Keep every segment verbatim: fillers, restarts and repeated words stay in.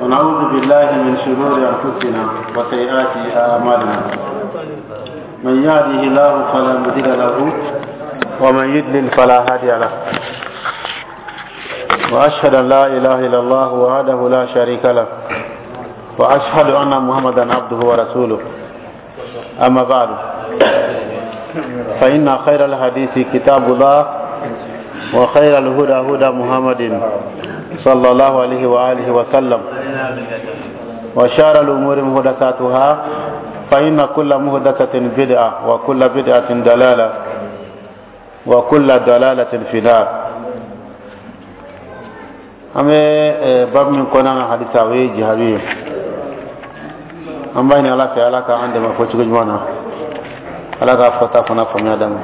ونعوذ بالله من شرور أنفسنا وسيئات أعمالنا. من يهده الله فلا مضل له ومن يضلل فلا هادي له. وأشهد أن لا إله إلا الله وحده لا شريك له وأشهد أن محمدا عبده ورسوله. أما بعد، فإن خير الحديث كتاب الله وخير الهدى هدى محمد صلى الله عليه وآله وسلم، وشار الأمور محدثاتها، فإن كل محدثة بدعة وكل بدعة دلالة وكل دلالة في النار. An bɛ babu min kɔnɔna na hadisa, o ye jihadu ye. An b'a ɲini Ala fɛ, Ala ka an dɛmɛ fɔcogo ɲuman na, Ala k'a fɔta fana faamuya d'an ma.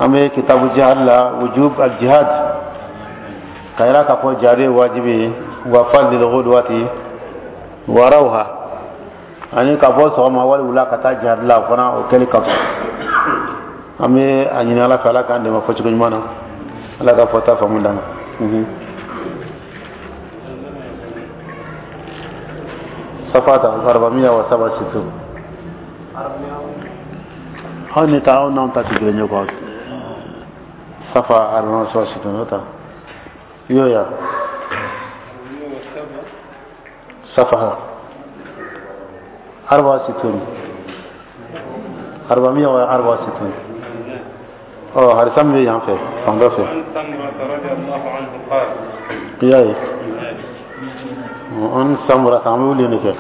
An bɛ kitabu jihad la, wujub al jihad, ka yira k'a fɔ jihadu ye wajibi ye, wa fadlil ghudwati wa rawha, ani ka bɔ sɔgɔma wali wula ka taa jihad la, o fana o kɛli ka fisa. An bɛ a ɲini Ala fɛ, Ala k'an dɛmɛ fɔcogo ɲuman na, Ala ka fɔta faamu d'an ma. Safata arbamiya wa saba situ aw ni ta aw n'anw ta ti kelen ye quoi. Safa arbamiya wa saba situ n'o ta yo ya safa arba situn arbamiya wa arba situn. Ɔ, hadisa min bɛ yan fɛ, fan dɔ fɛ. I y'a ye, an Samurata, an bɛ wuli de kɛ.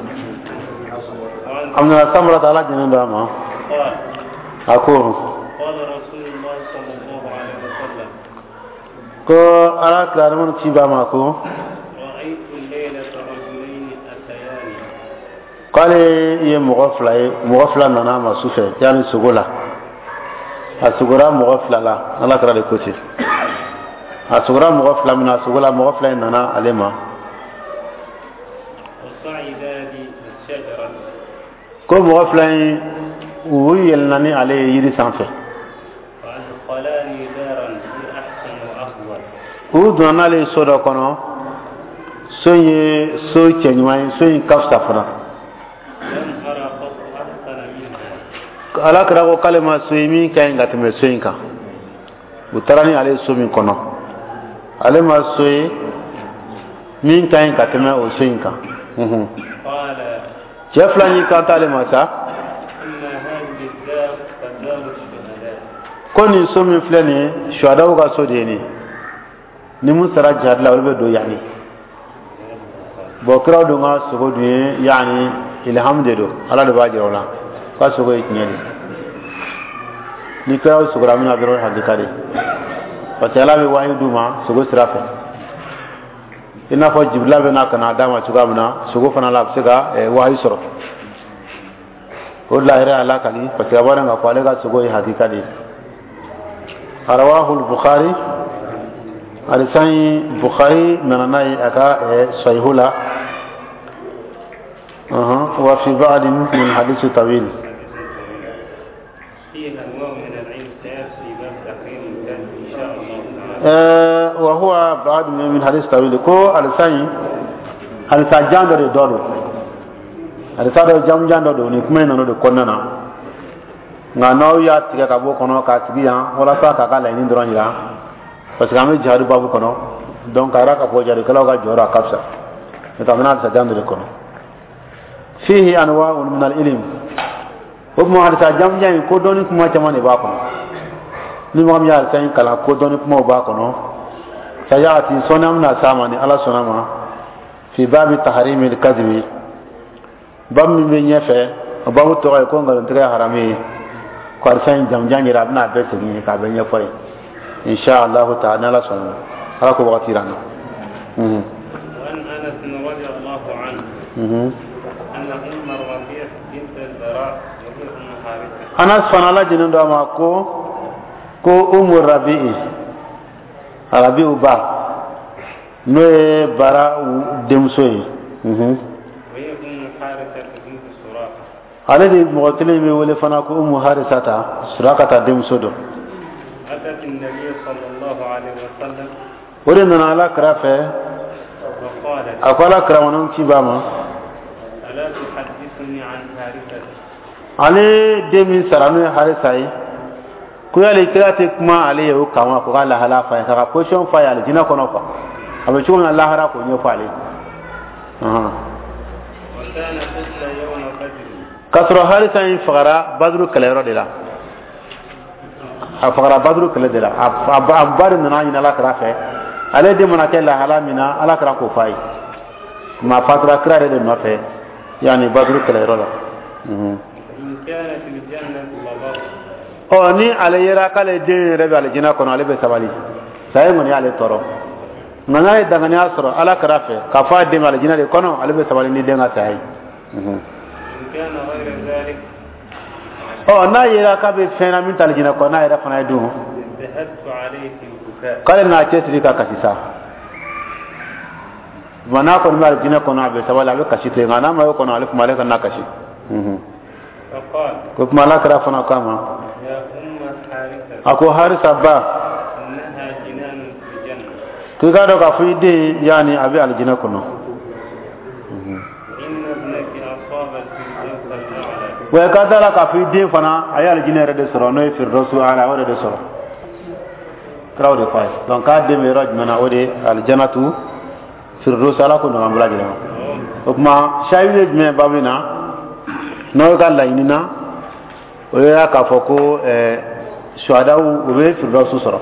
An nana Samurata, Ala jɛnnen don a ma, a ko ko Ala kira ci b'a ma ko k'ale ye mɔgɔ fila ye, mɔgɔ fila nana a ma su fɛ, yanni sogo la. A sogora mɔgɔ fila la, Ala kira de ko ten. A sogora mɔgɔ fila min na sogo la, mɔgɔ fila in nana ale ma ko mɔgɔ fila in u yɛlɛnna ni ale ye yiri sanfɛ. U donna n'ale ye so dɔ kɔnɔ, so in ye so cɛɲuman ye, so in ka fisa fana. Ala kira ko k'ale ma so ye min ka ɲi ka tɛmɛ so in kan. U taara ni ale ye so min kɔnɔ, ale ma so ye min ka ɲi ka tɛmɛ o so in kan. Cɛ fila y'i kanto ale ma sa ko nin so min filɛ nin ye, suhadaw ka so de ye nin. Ni mun sara jihad la, olu bɛ don yanni. Bɔn, kiraw dun ka sogo dun ye yanni ilham de don, Ala de b'a jira o la k'a sogo ye tiɲɛ de. Ni kiraw sogora min na dɔrɔn, hakika de, parce que Ala bɛ wahi d'u ma sogo sira fɛ. I n'a fɔ Jibila bɛ na ka na d'a ma cogoya min na, sogo fana la, a bɛ se ka wahi sɔrɔ. O de la a yɛrɛ y'a lakali, parce que a b'a dɔn k'a fɔ ale ka sogo ye hakika de ye. Rawahu Bukhari, hadisa in Bukhari nana n'a ye a ka sahihu la, wa fi ba'd min hadisi tawil. Wa huwa ba'd min hadisi tawil, ko hadisa in hadisa jan dɔ de dɔ don, hadisa dɔ jamujan dɔ don. Nin kuma in nana o de kɔnɔna na, nka n'aw y'a tigɛ ka bɔ kɔnɔ k'a sigi yan walasa k'a ka laɲini dɔrɔn jira, parce que an bɛ jihadu babu kɔnɔ, donc a yɛrɛ k'a fɔ jihadikɛlaw ka jɔyɔrɔ a ka fisa. N'o tɛ, an bɛna hadisa jan dɔ de kɔnɔ. Fihi anwa'un min al-ilm. O tuma hadisa jamujan in, ko dɔnni kuma caman de b'a kɔnɔ. Ni mɔgɔ min y'a hadisa in kalan, ko dɔnni kumaw b'a kɔnɔ. Sayati, sɔnni an bɛna s'a ma ni Ala sɔnna ma, fi babi tahrimi al-kadhibi, babu min bɛ ɲɛfɛ, o babu tɔgɔ ye ko nkalontigɛ ye haramu ye. Ko hadisa in jamujan yɛrɛ, a bɛna a bɛɛ segin ye k'a bɛɛ ɲɛfɔ ye, insha Allahu ta'ala, ni Ala sɔnna, Ala ko wagati yira an na. Anas fana, Ala jɛnnen don a ma, ko ko Umu Rabi'i, Rabi'u ba, n'o ye Bara denmuso ye, ale de mɔgɔ kelen bɛ wele fana ko Umu Harisata, Surakata denmuso don. O de nana Ala kira fɛ. A ko Ala kira ma, ci b'a ma: ألا تحدثني عن حارثة؟ Ale den min sara, n'o ye Harisa ye, ko yali kira tɛ kuma ale ye o kan wa? Ko ka lahala fa ye, k'a ka position fa ye alijinɛ kɔnɔ quoi, a bɛ cogo min na lahara, k'o ɲɛfɔ ale ye. Ɔhɔn. وكان قتل يوم بدر. K'a sɔrɔ Harisa in fagara Baduru kɛlɛyɔrɔ de la, a fagara Baduru kɛlɛ de la. A a ba a ba de nana ɲini Ala kira fɛ, ale den mana kɛ lahala min na, Ala kira k'o f'a ye. Maa fatura kira yɛrɛ de nɔfɛ yanni Baduru kɛlɛyɔrɔ la. Mhm. إن كان في الجنة لبر. Ɔ, ni ale yera k'ale den yɛrɛ bɛ alijinɛ kɔnɔ, ale bɛ sabali, saya in kɔni y'ale tɔɔrɔ, nka n'a ye danganiya sɔrɔ Ala kira fɛ k'a fɔ a den bɛ alijinɛ de kɔnɔ, ale bɛ sabali ni den ka saya ye. Mhm. إن كان غير ذلك Ɔ, n'a yera k'a bɛ fɛn na min tɛ alijinɛ kɔnɔ, n'a yɛrɛ fana ye dun, ذهبت عليه في البكاء. K'ale n'a cɛsiri ka kasi sa. Nka n'a kɔni bɛ alijinɛ kɔnɔ, a bɛ sabali, a bɛ kasi to yen, nka n'a ma y'o kɔnɔ, ale kuma ale kana kasi. Mhm. فقال: Ko kuma Ala kira fana k'a ma: يا أم حارثة، A ko Harisa ba، إنها جنان في الجنة. K'i k'a dɔn k'a fɔ i den yaani a bɛ alijinɛ kɔnɔ. وإن ابنك أصاب الفردوس الأعلى. Wa ka da la k'a fɔ i den fana a ye alijinɛ yɛrɛ de sɔrɔ, n'o ye firdausu ala, o de sɔrɔ. Kiraw de f'a ye. Donc k'a den bɛ yɔrɔ jumɛn na? O de ye alijanatu firdausu. Ala ko nɔgɔya an bɛɛ lajɛlen ma. O tuma sayidu ye jumɛn ye babu in na, n'aw ka laɲini na, o ye k'a fɔ ko ɛɛ suhadaw u bɛ firdausu sɔrɔ,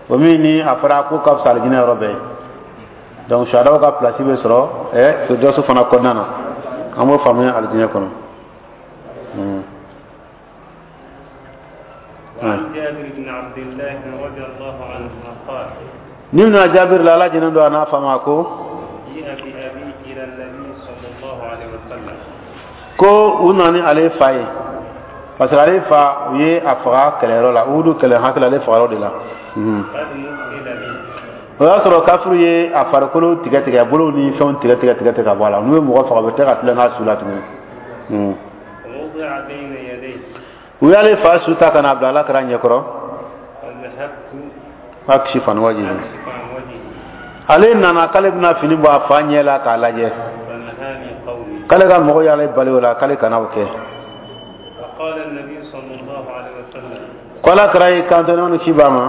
o min ni a fɔra ko ka fisa alijinɛ yɔrɔ bɛɛ ye. Donc suhadaw ka place bɛ sɔrɔ ɛ firdausu fana kɔnɔna na. An b'o faamuya alijinɛ kɔnɔ. Hmm. وعن جابر بن عبد الله رضي الله عنهما قال: Ni bɛna Jabiri la, Ala jɛnɛ don a n'a fa ma, ko: جيء بأبي إلى النبي صلى الله عليه وسلم. Ko u nana ni ale fa ye, parce que ale fa, u ye a faga kɛlɛyɔrɔ la, Uhudu kɛlɛ hakili, ale fagayɔrɔ de la. Mhm. قد مثل به. O y'a sɔrɔ kafiriw ye a farikolo tigɛ tigɛ, a bolow ni fɛnw tigɛ tigɛ tigɛ tigɛ ka bɔ a la. N'u ye mɔgɔ faga, u bɛ tila ka tilen n'a su la tuguni. Mhm. ووضع بين يديه. U y'ale fa su ta ka n'a bila Ala kira ɲɛkɔrɔ. فذهبت أكشف عن وجهه. أكشف عن وجهه. Ale nana k'ale bɛna fini bɔ a fa ɲɛ la k'a lajɛ. فنهاني قومي. K'ale ka mɔgɔw y'ale bali o la, k'ale kana o kɛ. فقال النبي صلى الله عليه وسلم: Ko Ala kira y'i kanto ne ni ci b'a ma: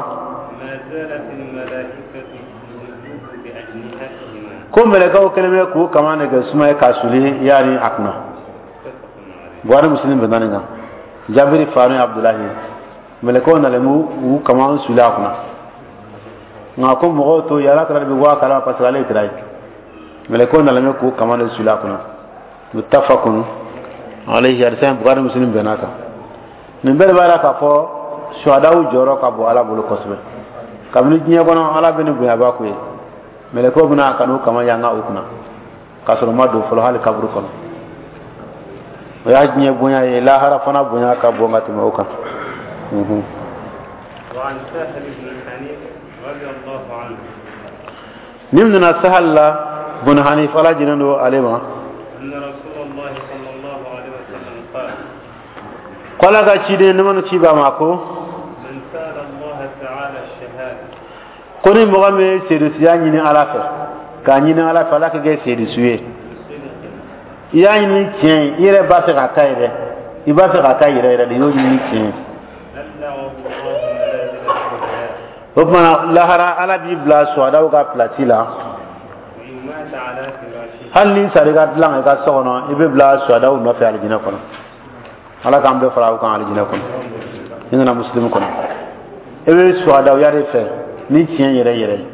ما زالت الملائكة تظله بأجنحتهما. Ko mɛlɛkɛw kɛlen bɛ k'u kama nɛgɛ suma ye k'a suli yaani a kunna. متفق عليه. Buhari, Muslim bɛnna nin kan. Jabiri fa, n'o ye Abudulayi ye, mɛlɛkɛw nalen b'u u kama suli a kunna, nka ko mɔgɔw to yen, Ala kira de bɛ bɔ a kalama, parce que ale ye kira ye. Mɛlɛkɛw nalen bɛ k'u kama de suli a kunna. متفق عليه. Hadisa in, Buhari, Muslim bɛnna kan. Nin bɛɛ de b'a yira k'a fɔ suhadaw jɔyɔrɔ ka bon Ala bolo kosɛbɛ. Kabini diɲɛ kɔnɔ, Ala bɛ ni bonyaba k'u ye, mɛlɛkɛw bɛna ka n'u kama yanga u kunna, k'a sɔrɔ u ma don fɔlɔ hali kaburu kɔnɔ. O y'a diɲɛ bonya ye, lahara fana bonya ka bon ka tɛmɛ o kan. Mhm. وعن سهل بن حنيف رضي الله عنه Ni nana Sahal la bun Hanif, Ala jɛnen don ale ma، أن رسول الله صلى الله عليه وسلم قال: ko Ala ka ciden ne ci b'a ma ko: من سأل الله تعالى الشهادة، ko ni mɔgɔ min ye seedusuya ɲini Ala fɛ, k'a ɲini Ala fɛ, Ala ka kɛ seedusu ye، بصدق، i y'a ɲini tiɲɛ ye, i yɛrɛ b'a fɛ k'a k'a ye dɛ, i b'a fɛ k'a k'a yɛrɛ yɛrɛ de, i y'o ɲini ni tiɲɛ ye، بلغه الله منازل الشهداء. O tuma lahara, Ala b'i bila suhadaw ka place la. وإن مات على فراشه. Hali ni sara i ka dilan kan i ka so kɔnɔ, i bɛ bila suhadaw nɔfɛ alijinɛ kɔnɔ. Ala k'an bɛɛ fara o kan alijinɛ kɔnɔ. I nana Musilimu kɔnɔ, i bɛ suhadawya de fɛ ni tiɲɛ yɛrɛ yɛrɛ ye,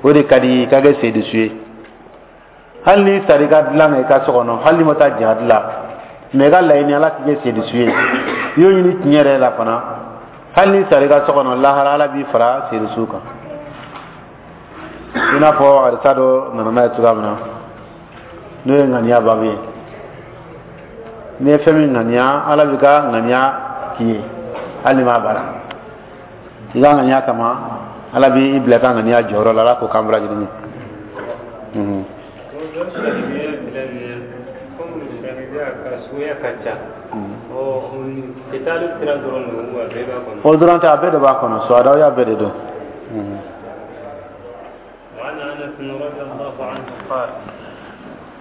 o de ka di i ye, i ka kɛ seedusu ye. Hali ni sara i ka dilan kan i ka so kɔnɔ, hali ni ma taa jihadi la, mɛ i ka laɲini Ala k'i kɛ seedusu ye, i y'o ɲini tiɲɛ yɛrɛ la fana, hali ni sara i ka so kɔnɔ, lahara Ala b'i fara seedusu kan, i n'a fɔ hadisa dɔ nana n'a ye cogoya min na, n'o ye ŋaniya babu ye. N'i ye fɛn min ŋaniya, Ala b'i ka ŋaniya k'i ye, hali ni m'a baara. I ka ŋaniya kama, Ala b'i bila i ka ŋaniya jɔyɔrɔ la. Ala k'o k'an bɛɛ lajɛlen ye. Mhm. Shahidiya filɛ nin ye, komi shahidiya ka suguya ka ca, ɔ kitalu sira dɔrɔn don wa bɛɛ b'a kɔnɔ? O dɔrɔn tɛ, a bɛɛ de b'a kɔnɔ, suhadawya bɛɛ de don. Mhm. وعن انس أنس رضي الله عنه قال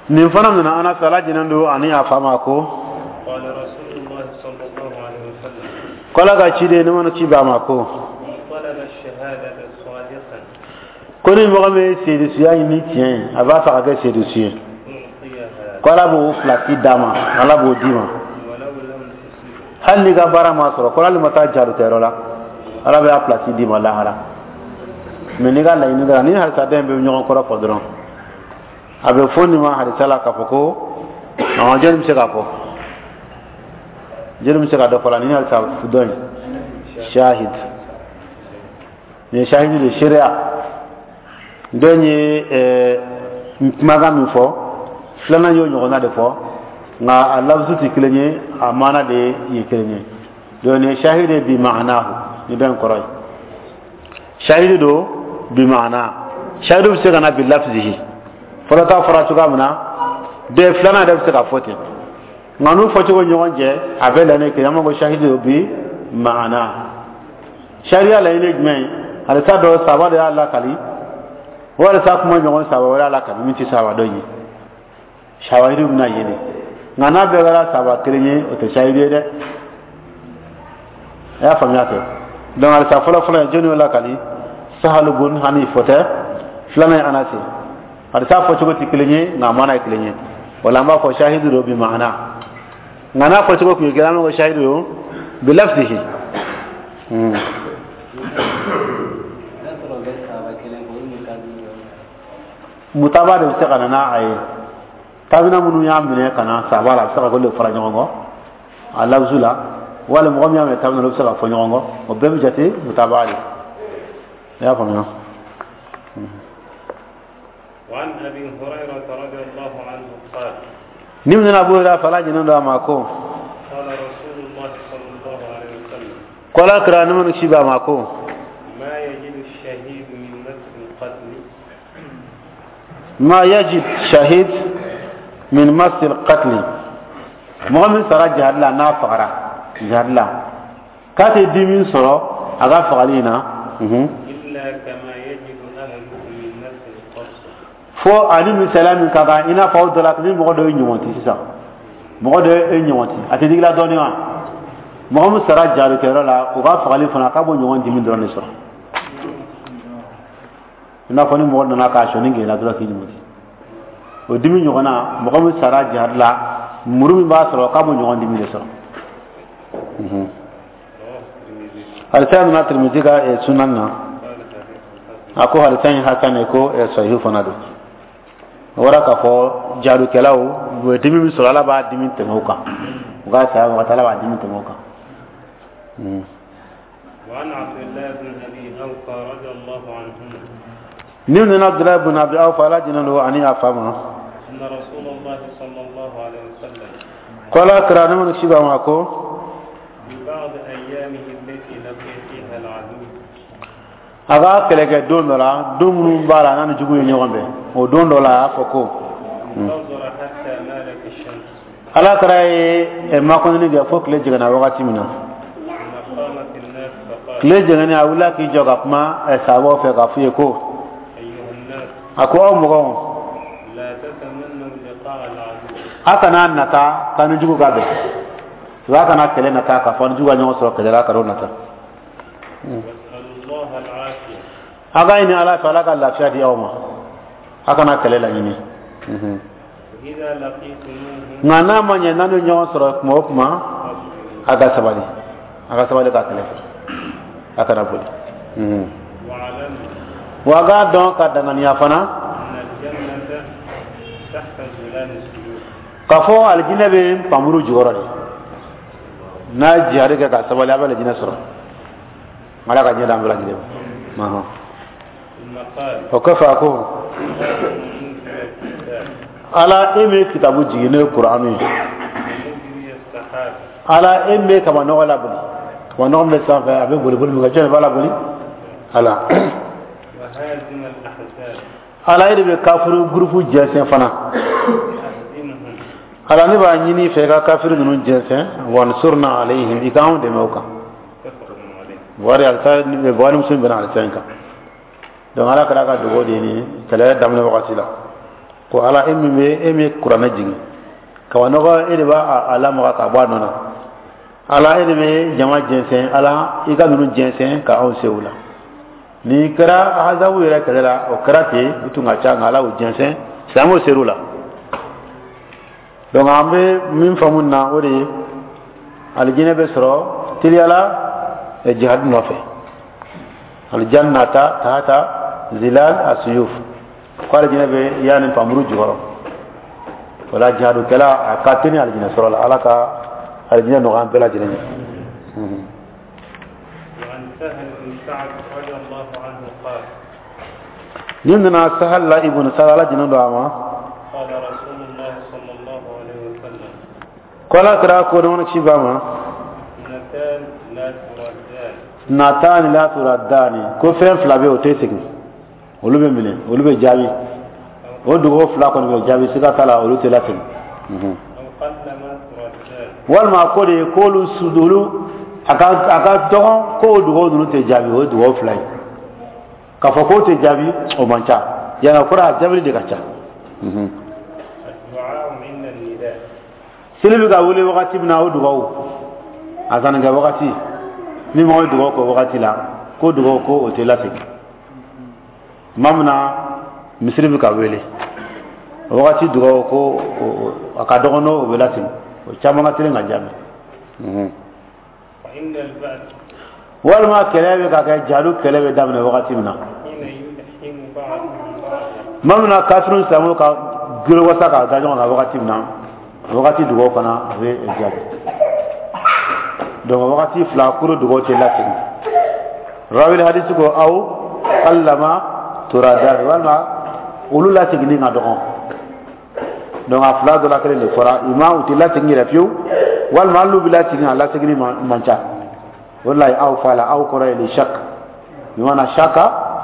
Nin fana nana Anas, Ala jɛnen don ani a fa ma, ko قال رسول الله صلى الله عليه وسلم k'Ala ka ciden ne mana ci b'a ma ko من طلب الشهادة صادقا ko ni mɔgɔ min ye seedusuya ɲini tiɲɛ ye, a b'a fɛ ka kɛ seedusu ye, أعطيها ko Ala b'o pilasi d'a ma, Ala b'o d'i ma ولو لم تصبه. Hali n'i ka baara ma sɔrɔ, ko hali ma taa jarutɛyɔrɔ la, Ala bɛ a pilasi d'i ma lahara. Mɛ n'i ka laɲini kɛra ni hadisa den bɛ ɲɔgɔn kɔrɔ fɔ dɔrɔn, a bɛ fɔ nin ma hadisa la k'a fɔ ko ɔn jɔnni bɛ se k'a fɔ, jɔnni bɛ se ka dɔ fɔ la ni hadisa dɔ in shahid nin ye shahidi de seereya dɔ in ye. ɛɛ kumakan min fɔ, filanan y'o ɲɔgɔnna de fɔ, nka a lafzu tɛ kelen ye, a maana de ye kelen ye. Donc nin ye shahidi bi maanahu, ni dɔ in kɔrɔ ye shahidi don bi maana. Shahidi bɛ se ka na bi lafzihi, fɔlɔ ta fɔra cogoya min na, den filanan yɛrɛ bɛ se ka fɔ ten, nka n'u fɔcogo ɲɔgɔn cɛ, a bɛɛ laɲini kelen. An b'a fɔ shahidi don bi maana. Sariya laɲini ye jumɛn ye? Hadisa dɔ saba de y'a lakali, walasa kuma ɲɔgɔn saba wɛrɛ y'a lakali min tɛ saba dɔ ye, shawahidu bɛna yen de. Nka n'a bɛɛ kɛra saba kelen ye, o tɛ shahidi ye dɛ. A y'a faamuya kɛ. Donc hadisa fɔlɔ fɔlɔ ye, jɔnni y'o lakali? Sahalu bun Hanif tɛ. Filanan ye Anasi. Hadisa fɔcogo tɛ kelen ye, nka a maana ye kelen ye. O la an b'a fɔ shahidu don bi maana, nka n'a fɔcogo tun ye kelen, an b'a fɔ shahidu don bi lafzihi. Hmm. N'a sɔrɔ bɛ saba kelen kɔ, olu ka Mutaba de bɛ se ka na n'a ye. Tabina minnu y'a minɛ ka na saba la, a bɛ se ka k'olu de fara ɲɔgɔn kɔ a lafzu la, wali mɔgɔ min y'a minɛ tabina, olu bɛ se ka fɔ ɲɔgɔn kɔ, o bɛɛ bɛ jate mutaba de. I y'a faamuya? وعن أبي هريرة رضي الله عنه قال Ni min nana Abu Hurairah fala jɛnen don a ma ko قال رسول الله صلى الله عليه وسلم k'Ala kira ni minnu ci b'a ma ko ما يجد الشهيد من مس القتل ما يجد شهيد من مس القتل, mɔgɔ min sara jihad la, n'a fagara jihad la, k'a tɛ dimi sɔrɔ a ka fagali in na unhun. إلا كما يجد أحدكم من مس القرص. Fo ani misaliya min ka kan, i n'a fɔ aw dɔ la ni mɔgɔ dɔ ye ɲɔgɔn ci sisan, mɔgɔ dɔ ye ɲɔgɔn ci, a tɛ digi la dɔɔnin wa? Mɔgɔ min sara jihadikɛyɔrɔ la, o ka fagali fana, k'a b'o ɲɔgɔn dimi dɔrɔn de sɔrɔ, i n'a fɔ ni mɔgɔ nana k'a sɔnni gɛlɛya dɔrɔn k'i ɲɔgɔn ci, o dimi ɲɔgɔnna, mɔgɔ min sara jihad la, muru min b'a sɔrɔ, k'a b'o ɲɔgɔn dimi de sɔrɔ. Mhm. رواه الترمذي. Hadisa nana Tirmidhi ka eh, sunan na. قال حديث حسن. A ko hadisa in hasan ye, ko eh, sahihu fana don. O bɔra k'a fɔ jihadukɛlaw u bɛ dimi min sɔrɔ, Ala b'a dimi tɛmɛ o kan. U ka saya wagati, Ala b'a dimi tɛmɛ o kan. Mhm. وعن عبد الله بن أبي أوفى رضي الله عنهما Ni nana Abdullahi bin Abi Awfa, Ala jɛnen don ani a fa ma أن رسول الله صلى الله عليه وسلم ko Ala kira ne mana ci ba ma ko في بعض أيامه التي لقي فيها العدو a ka kɛlɛkɛ don dɔ la, don minnu b'a la n'a ni jugu ye ɲɔgɔn bɛn, o don dɔ la, a y'a fɔ ko انتظر حتى مالت الشمس. Ala kira ye eh, makɔnɔni kɛ fo tile jiginna wagati min na, ثم قام في الناس فقال tile jiginni, a wulila k'i jɔ ka kuma eh, sahabaw fɛ k'a f'u ye ko أيها الناس a ko aw mɔgɔw لا تتمنوا لقاء العدو. A kana nata k'an ni jugu ka bɛn, a kana kɛlɛ nata k'a fɔ ni jugu ka ɲɔgɔn sɔrɔ kɛlɛ la, ka n'o nata. واسألوا الله العافية. A ka ɲini Ala fɛ, Ala ka lafiya di aw ma, a kana kɛlɛ laɲini. Mhm. إذا لقيتموهم Nka n'a ma ɲɛ n'a ni ɲɔgɔn sɔrɔ kuma o kuma, فاصبروا. a ka sabali, a ka sabali ka kɛlɛ kɛ, a kana boli. Mhm. واعلموا Wa a k'a dɔn ka danganiya fana أن الجنة تحت ظلال السيوف. k'a fɔ alijinɛ bɛ npanmuru jukɔrɔ de. N'a ye jihadi kɛ ka sabali, a bɛ alijinɛ sɔrɔ. Ala ka ɲɛ d'an bɛɛ lajɛlen ma. Ɔhɔn. ثم قال O kɔfɛ a ko اللهم منزل الكتاب Ala, e min ye kitabu jigin, n'o ye Kuranu ye, ومجري السحاب Ala, e min bɛ kaba nɔgɔ laboli, kaba nɔgɔ min bɛ sanfɛ, a bɛ boli boli min kɛ, jɔn de b'a laboli? Ala. وهازم الأحزاب Ala, e de bɛ kafiru gurupu jɛnsɛn fana. أهزمهم. Ala, ne b'a ɲini i fɛ i ka kafiru ninnu jɛnsɛn. وانصرنا عليهم, i k'anw dɛmɛ o kan. متفق عليه. Buhari alisa, Buhari, Muslim bɛnna alisa in kan. Donc Ala kɛra ka dugawu de ni kɛlɛ daminɛ wagati la, ko Ala, e min bɛ, e min ye kuranɛ jigin kabanɔgɔ, e de b'a a lamaga ka bɔ a nɔ na. Ala, e de bɛ jama jɛnsɛn. Ala, i ka ninnu jɛnsɛn ka anw se u la. Nin kɛra ahazabu yɛrɛ kɛlɛ la, o kɛra ten. U tun ka ca, nka Ala y'u jɛnsɛn, silamɛw ser'u la. Donc an bɛ min faamu na, o de ye alijinɛ bɛ sɔrɔ teliyala jihad nɔfɛ. Alijannata tahata zilal asuyuf, ko alijinɛ bɛ yanni npanmuru jukɔrɔ. O la, jihadukɛla a ka teli alijinɛ sɔrɔ la. Ala ka alijinɛ nɔgɔya an bɛɛ lajɛlen ye. وعن سهل بن سعد رضي الله عنه قال: Ni nana Sahal la ibn Sa'd, Ala jinin don a ma. قال رسول الله صلى الله عليه وسلم: Ko Ala kɛra ko dɔgɔnin ci ba ma. اثنتان لا تردان. اثنتان لا تردان, ko fɛn fila bɛ yen, o tɛ segin, olu bɛ minɛ, olu bɛ jaabi. O dugawu fila kɔni bɛ jaabi, siga t'a la, olu tɛ lasegin. أو قلما تردان. Walima ko de k'olu olu a ka a ka dɔgɔn k'o dugawu ninnu tɛ jaabi. O ye dugawu fila ye. K'a fɔ k'o tɛ jaabi, o man ca yana kɔrɔ, a jaabili de ka ca. الدعاء عند النداء. Seli bɛ ka wele wagati min na, o dugawu, a sannikɛ wagati, ni mɔgɔ ye dugawu kɛ wagati la, ko dugawu ko o tɛ lasegin. Tuma min na misiri bɛ ka wele, o wagati dugawu ko a ka dɔgɔn n'o bɛ lasegin, o caman ka teli ka jaabi. وعند البأس. Walima kɛlɛ bɛ ka kɛ, jihadu kɛlɛ bɛ daminɛ wagati min na. حين يلحم بعضهم بعضا. Tuma min na kafiriw, silamɛw ka gere wasa k'a da ɲɔgɔn kan wagati min na, o wagati dugawu fana a bɛ jaabi. Donc wagati fila kuro dugawu tɛ lasegin. Rawil hadisi ko أو قلما تردان, walima olu laseginni ka dɔgɔn. Donc a fila dɔ la kelen de fɔra ima, u tɛ lasegin yɛrɛ fiyewu, walima hali n'u bɛ lasegin, a laseginni man ca. O de la aw fa la aw kɔrɔ ye للشك, بمعنى شك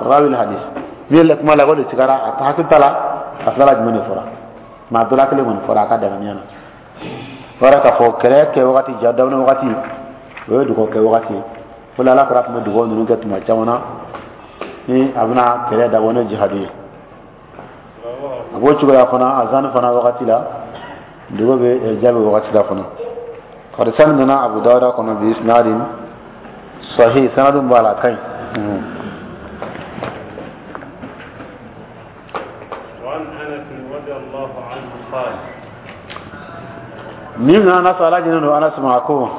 راوي الحديث, min ye kuma la o de sigara, a hakili t'a la a fila la jumɛn de fɔra. Maa dɔ la kelen kɔni fɔra a ka danganiya na. O yɛrɛ k'a fɔ kɛlɛ kɛ wagati, ja daminɛ wagati, o ye dugawu kɛ wagati ye. O la, Ala kɛra tun bɛ dugawu ninnu kɛ tuma caman na ni a bɛna kɛlɛ dabɔ ni jihadu ye. A b'o cogoya fana, azan fana wagati la, dugawu bɛ jaabi wagati la fana. Hadisa nana Abu Dawuda kɔnɔ بإسناد صحيح, sanadun b'a la, a ka ɲi. وعن أنس رضي الله عنه قال: Min nana Anas, Ala jinen don Anas ma, ko: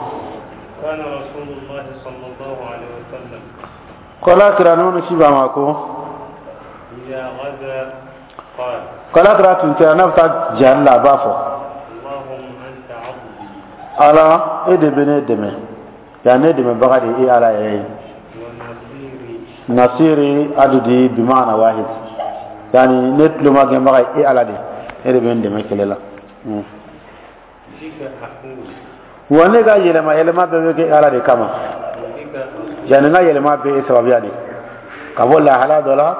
كان رسول الله صلى الله عليه وسلم ko Ala kira nɔnɔ ci ba ma ko: إذا غزا قال: ko Ala kira tun kɛra n'a bɛ taa jihad la, a b'a fɔ: اللهم أنت عضدي. Ala, e de bɛ ne dɛmɛ yan, ne dɛmɛbaga de ye e Ala yɛrɛ ye. ونصيري. نصيري, عضدي بمعنى واحد, yani ne tulomagɛnbaga ye e Ala de, e de bɛ n dɛmɛ kɛlɛ la. بك أحول. Wa ne ka yɛlɛma yɛlɛma bɛɛ bɛ kɛ e Ala de kama. وبك أصول. Yani n ka yɛlɛma bɛɛ e sababuya de, ka bɔ lahala dɔ la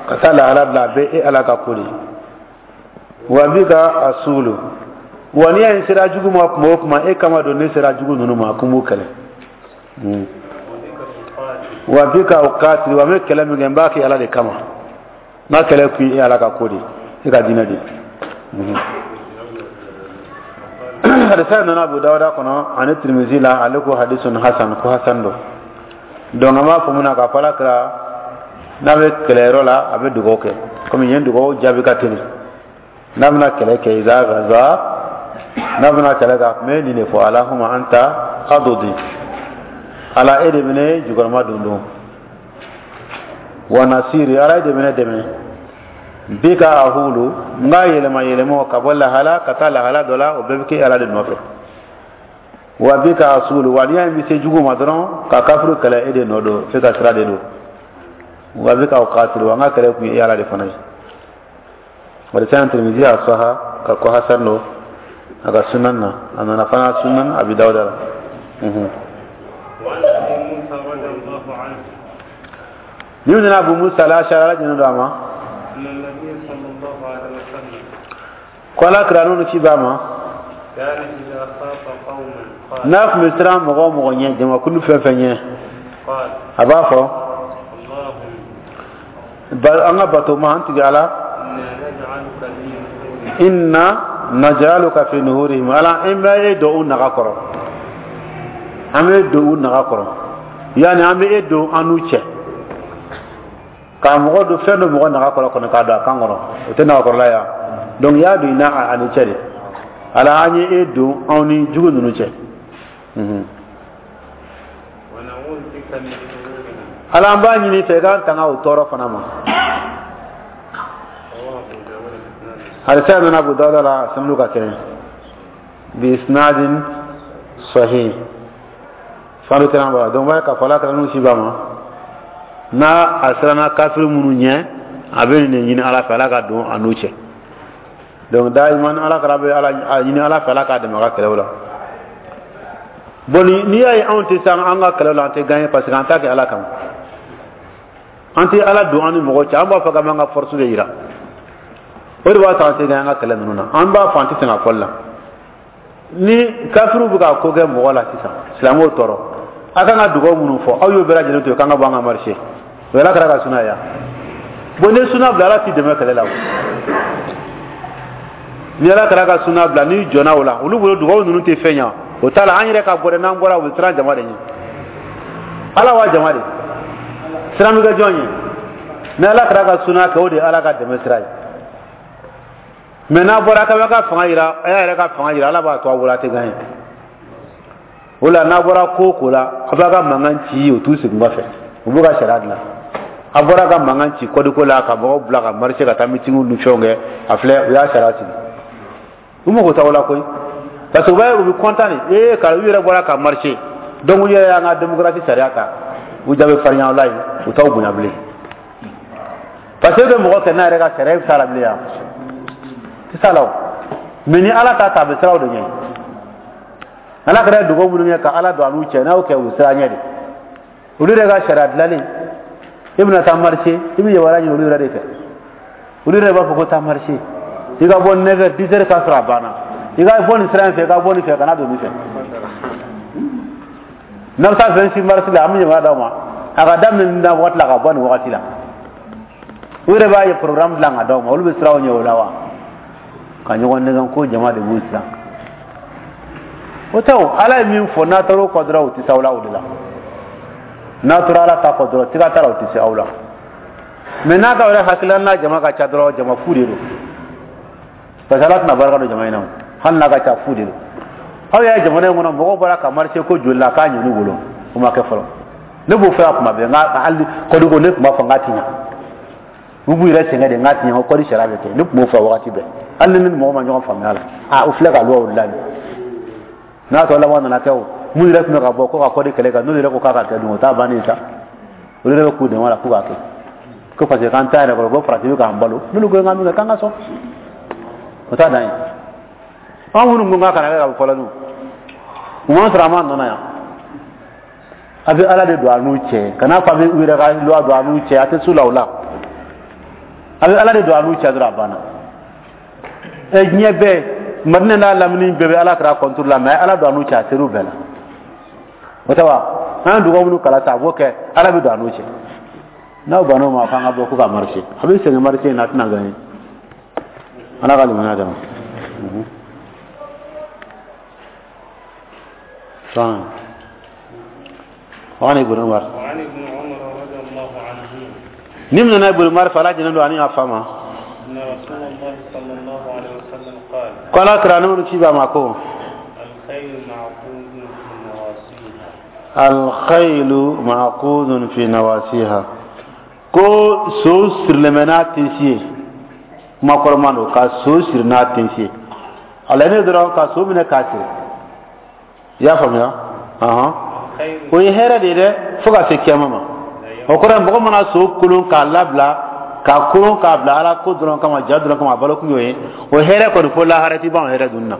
ka taa lahala dɔ la, a bɛɛ e Ala ka ko de. وبك أصول, wa n'i y'a ye n sera jugu ma kuma o kuma, e kama don ne sera jugu ninnu ma ko n b'u kɛlɛ. وبك أقاتل. وبك أقاتل, wa n bɛ kɛlɛ min kɛ, n b'a kɛ Ala de kama. N ka kɛlɛ kun ye e Ala ka ko de, e ka diinɛ de. Hadisa nana Abu Dawuda kɔnɔ ani Tirimizi la. Ale ko حديث حسن, ko hasan don. Donc an b'a fɔ mun na k'a fɔ Ala kira n'a bɛ kɛlɛyɔrɔ la, a bɛ dugawu kɛ, komi yen dugawu jaabi ka teli. N'a bɛna kɛlɛ kɛ, إذا غزا, n'a bɛna kɛlɛ kɛ, a tun bɛ nin de fɔ: اللهم أنت عضدي, Ala, e de bɛ ne jukɔrɔma don don, ونصيري, Ala, e de bɛ ne dɛmɛ, بك أحول, n ka yɛlɛma yɛlɛmaw ka bɔ lahala ka taa lahala dɔ la, o bɛɛ bɛ kɛ Ala de nɔfɛ, وبك أصول, wa n'i y'a ye n bɛ se jugu ma dɔrɔn ka kafiru kɛlɛ, e de nɔ don, f'e ka sira de don, وبك أقاتل, wa n ka kɛlɛ kun ye e Ala de fana ye. O de sɛbɛn Tirimizi y'a saha ka ko hasan don a ka sunan na, a nana fana sunan Abi Dawuda la. وعن أبي موسى رضي الله عنه Ni nana Abu Musa al-Ashari, Ala jɛnɛ don a ma. أن النبي صلى الله عليه وسلم Ko Ala kira n'olu ci ba ma. كان إذا خاف قوما قال: N'a tun bɛ siran mɔgɔ o mɔgɔ ɲɛ, jamakulu fɛn fɛn ɲɛ, قال: a b'a fɔ: اللهم An ka bato ma an tigi Ala, inna naj'aluka fi nuhurihim, Ala an bɛ e don u naga kɔrɔ, an bɛ don u naga kɔrɔ, yani an bɛ e don an n'u cɛ. K'a mɔgɔ don fɛn dɔ mɔgɔ naga kɔrɔ kɔnɔ k'a don a kan kɔrɔ, o tɛ nagakɔrɔla ya. Donc i y'a don i n'a ani cɛ de. Ala an ye e don anw ni jugu ninnu cɛ. Ala an b'a ɲini fɛ i k'an tanga o tɔɔrɔ fana ma. Hadisa nana Abu Dawuda la, sanadu ka kɛnɛ bi isnadin sahih, sanadu kɛnɛ b'a la. Donc b'a k'a fɔ Ala kɛra n'u si b'a ma n'a a siranna kafiri minnu ɲɛ, a bɛ nin de ɲini Ala fɛ, Ala ka don a n'u cɛ. Donc daiman Ala kɛra bɛ Ala a ɲini Ala fɛ, Ala k'a dɛmɛ a ka kɛlɛw la. Bon, n'i y'a ye anw tɛ se an ka kɛlɛw la, an tɛ gagner parce que an t'a kɛ Ala kama, an tɛ Ala don an ni mɔgɔ cɛ, an b'a fɔ k'an b'an ka force de yira. O de b'a to an tɛ gagner an ka kɛlɛ ninnu na. An b'a fɔ an tɛ sɛgɛn a fɔli la. Ni kafiriw bɛ ka ko kɛ mɔgɔ la sisan, silamɛw tɔɔrɔ, a kan ka dugawu minnu fɔ, aw y'o bɛɛ lajɛlen to yen k'an ka bɔ an ka marché. O ye Ala kɛra ka suna ya. Bon, ni suna bila, Ala t'i dɛmɛ kɛlɛ la o. Ni Ala kɛra ka suna bila, n'i jɔnna o la, olu bolo dugawu ninnu tɛ fɛn ɲɛ. O t'a la, an yɛrɛ ka bɔ dɛ, n'an bɔra u bɛ siran jama de ɲɛ. Ala wa jama de siran bɛ kɛ jɔn ye? Ni Ala kɛra ka suna kɛ, o de ye Ala ka dɛmɛ sira ye. Mɛ n'a bɔra k'a b'a ka fanga yira, a y'a yɛrɛ ka fanga yira, Ala b'a to a bolo, a tɛ gagner. O la n'a bɔra ko o ko la, a b'a ka mankan ci, o t'u segin kɔfɛ, u b'u ka sariya dilan. A bɔra ka mankan ci kɔdiko la, ka mɔgɔw bila ka marcher ka taa meeting ni fɛnw kɛ, a filɛ u y'a sariya sigi. U mago t'aw la koyi, parce que u b'a ye u bɛ content de ee ka u yɛrɛ bɔra ka marcher. Donc u yɛrɛ y'an ka démocratie sariya ta, u ja bɛ farinya la yen, u t'aw bonya bilen. Parce que e bɛ mɔgɔ kɛ n'a yɛrɛ ka sariya, e bɛ s'a la bilen yan, tɛ s'a la o. Mais ni Ala ta ta, a bɛ siran o de ɲɛ. Ala kɛra dugawu minnu kɛ ka Ala don a n'u cɛ, n'a y'o kɛ, u bɛ siran ɲɛ de. Olu yɛrɛ ka sariya dilanlen, i bɛna taa marcher, i bɛ yamaruya ɲini olu yɛrɛ de fɛ. Olu yɛrɛ b'a fɔ ko taa marcher, i ka bɔ neuf heures, dix heures k'a sɔrɔ a banna, i ka bɔ nin sira in fɛ, i ka bɔ nin fɛ, kana don nin fɛ. N'a bɛ taa vingt-six mars la, an bɛ yamaruya d'aw ma, a ka daminɛ nin na waati la, ka bɔ nin wagati la. U yɛrɛ b'a ye programme dilan ka d'aw ma, olu bɛ siran aw ɲɛ o la wa? Ka ɲɔgɔn nɛgɛn ko jama de b'u siran. O tɛ o, Ala ye min fɔ, n'a taara o kɔ dɔrɔn, o tɛ se aw la o de la. N'a tora Ala ta kɔ dɔrɔn, siga t'a la, o tɛ se aw la. Mais n'a ka yɛrɛ hakilila n'a jama ka ca dɔrɔn, jama fu de don. Parce que Ala tɛna barika don jama in na o, hali n'a ka ca, fu de don. Aw y'a ye jamana in kɔnɔ, mɔgɔw bɔra ka marché ko joli la k'a ɲɛn'u bolo, o ma kɛ fɔlɔ. Ne b'o fɔ yan kuma bɛɛ, n ka hali kɔdiko ne tun b'a fɔ n k'a ti ɲa. U b'u yɛrɛ sɛgɛn de, n k'a ti ɲa, ko kɔdi sariya bɛ kɛ. Ne tun b'o fɔ wagati bɛɛ, hali ni ni mɔgɔ ma ɲɔgɔn faamuya la. A o filɛ ka loi o dilan nin n'a tɔ laban nana kɛ o, mun yɛrɛ tun bɛ ka bɔ ko ka kɔdi kɛlɛ kan, n'olu yɛrɛ ko k'a ka kɛ dun, o t'a bannen sa. Olu yɛrɛ bɛ k'u dɛmɛ la k'u k'a kɛ ko parce que k'an t'a yɛrɛ kɔrɔ, ko farati bɛ k'an balo. N'olu ko k'an bɛ kɛ, k'an ka sɔn, o t'a dan ye. An minnu ko k'a kana kɛ ka bɔ fɔlɔ dun, u m'an sɔrɔ an m'an nɔ na yan. A bɛ Ala de don a n'u cɛ, kana fɔ a bɛ u yɛrɛ ka loi don a n'u cɛ, a tɛ s'u la o la. A bɛ Ala de don a n'u cɛ dɔrɔn, a banna. Ɛ diɲɛ bɛɛ, Madinɛ n'a lamini bɛɛ bɛ Ala kɛra contre la, mais Ala don a n'u cɛ, a ser'u bɛɛ la. O tɛ wa? An ye dugawu minnu kalan sisan, a b'o kɛ, Ala bɛ don a n'u cɛ. N'aw bann'o ma, k'an ka bɔ ko ka marcher, a bɛ sɛgɛn marcher in na, a tɛna gagner. Ala ka limaniya d'a ma. وعن ابن عمر، وعن ابن عمر رضي الله عنهما، نمنا ابن عمر فلا جنن أن يفهم أن رسول الله صلى الله عليه وسلم قال قال كرانون شيبا ماكو الخيل معقود في نواصيها الخيل معقود في نواسيها ko so sirilen bɛ n'a tensi ye, kuma kɔrɔman don, ka so siri n'a tensi ye, a laɲini dɔrɔn ka so minɛ k'a siri. I y'a faamuya? Ɔhɔn, o ye hɛrɛ de ye dɛ, fo ka se kiyama ma. O kɔrɔ ye mɔgɔ mana so kolon k'a labila, k'a kolon k'a bila Ala ko dɔrɔn kama, ja dɔrɔn kama, a balo kun y'o ye, o hɛrɛ kɔni fo lahara ti ban o hɛrɛ dunni na.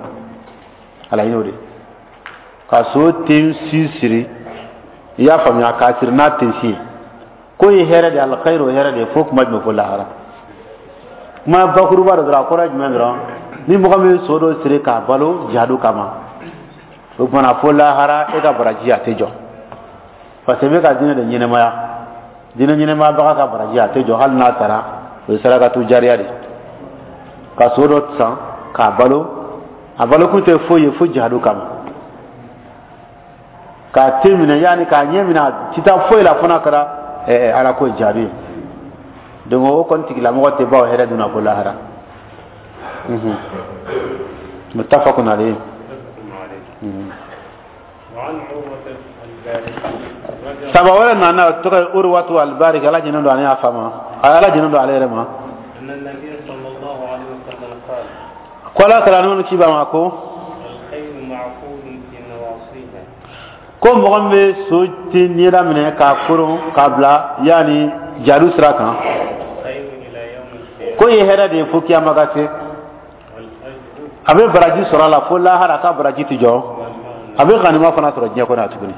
A laɲini o de ka so ten si siri, i y'a faamuya, k'a siri n'a tensi ye, k'o ye hɛrɛ de ye, alkhayr, o hɛrɛ de ye fo kuma jumɛn? Fo lahara. Kuma bakuruba dɔ dɔrɔn, a kɔrɔ ye jumɛn dɔrɔn? Ni mɔgɔ min ye so dɔ siri k'a balo jihadu kama, o kumana fo lahara e ka baraji a tɛ jɔ, parce que i bɛ ka diinɛ de ɲɛnɛmaya. Diinɛ ɲɛnɛmabaga ka baraji a tɛ jɔ hali n'a sara, o ye sarakatu jariya de. Ka so dɔ san k'a balo, a balokun tɛ foyi ye fo jihadu kama. K'a te minɛ, yaani k'a ɲɛ minɛ, a ti taa foyi la fo n'a kɛra ala ko jihadu ye. Donc o kɔni tigilamɔgɔ tɛ ban o hɛrɛ dun na fo lahara. Muttafaqun alayhi. Saba wɛrɛ nana, o tɔgɔ ye Urwatu al-Bariki, ala jɛnnen don ale y'a fa ma, ala jɛnnen don ale yɛrɛ ma. Ko ala kɛra n'olu ci ba ma ko ko mɔgɔ min bɛ so ti ɲɛda minɛ k'a koron k'a bila yaani jadu sira kan, ko ye hɛrɛ de ye fo kiyama ka se. A bɛ baraji sɔrɔ a la fo lahara, ka baraji ti jɔ. A bɛ ganima fana sɔrɔ diɲɛ kɔnɔ tuguni,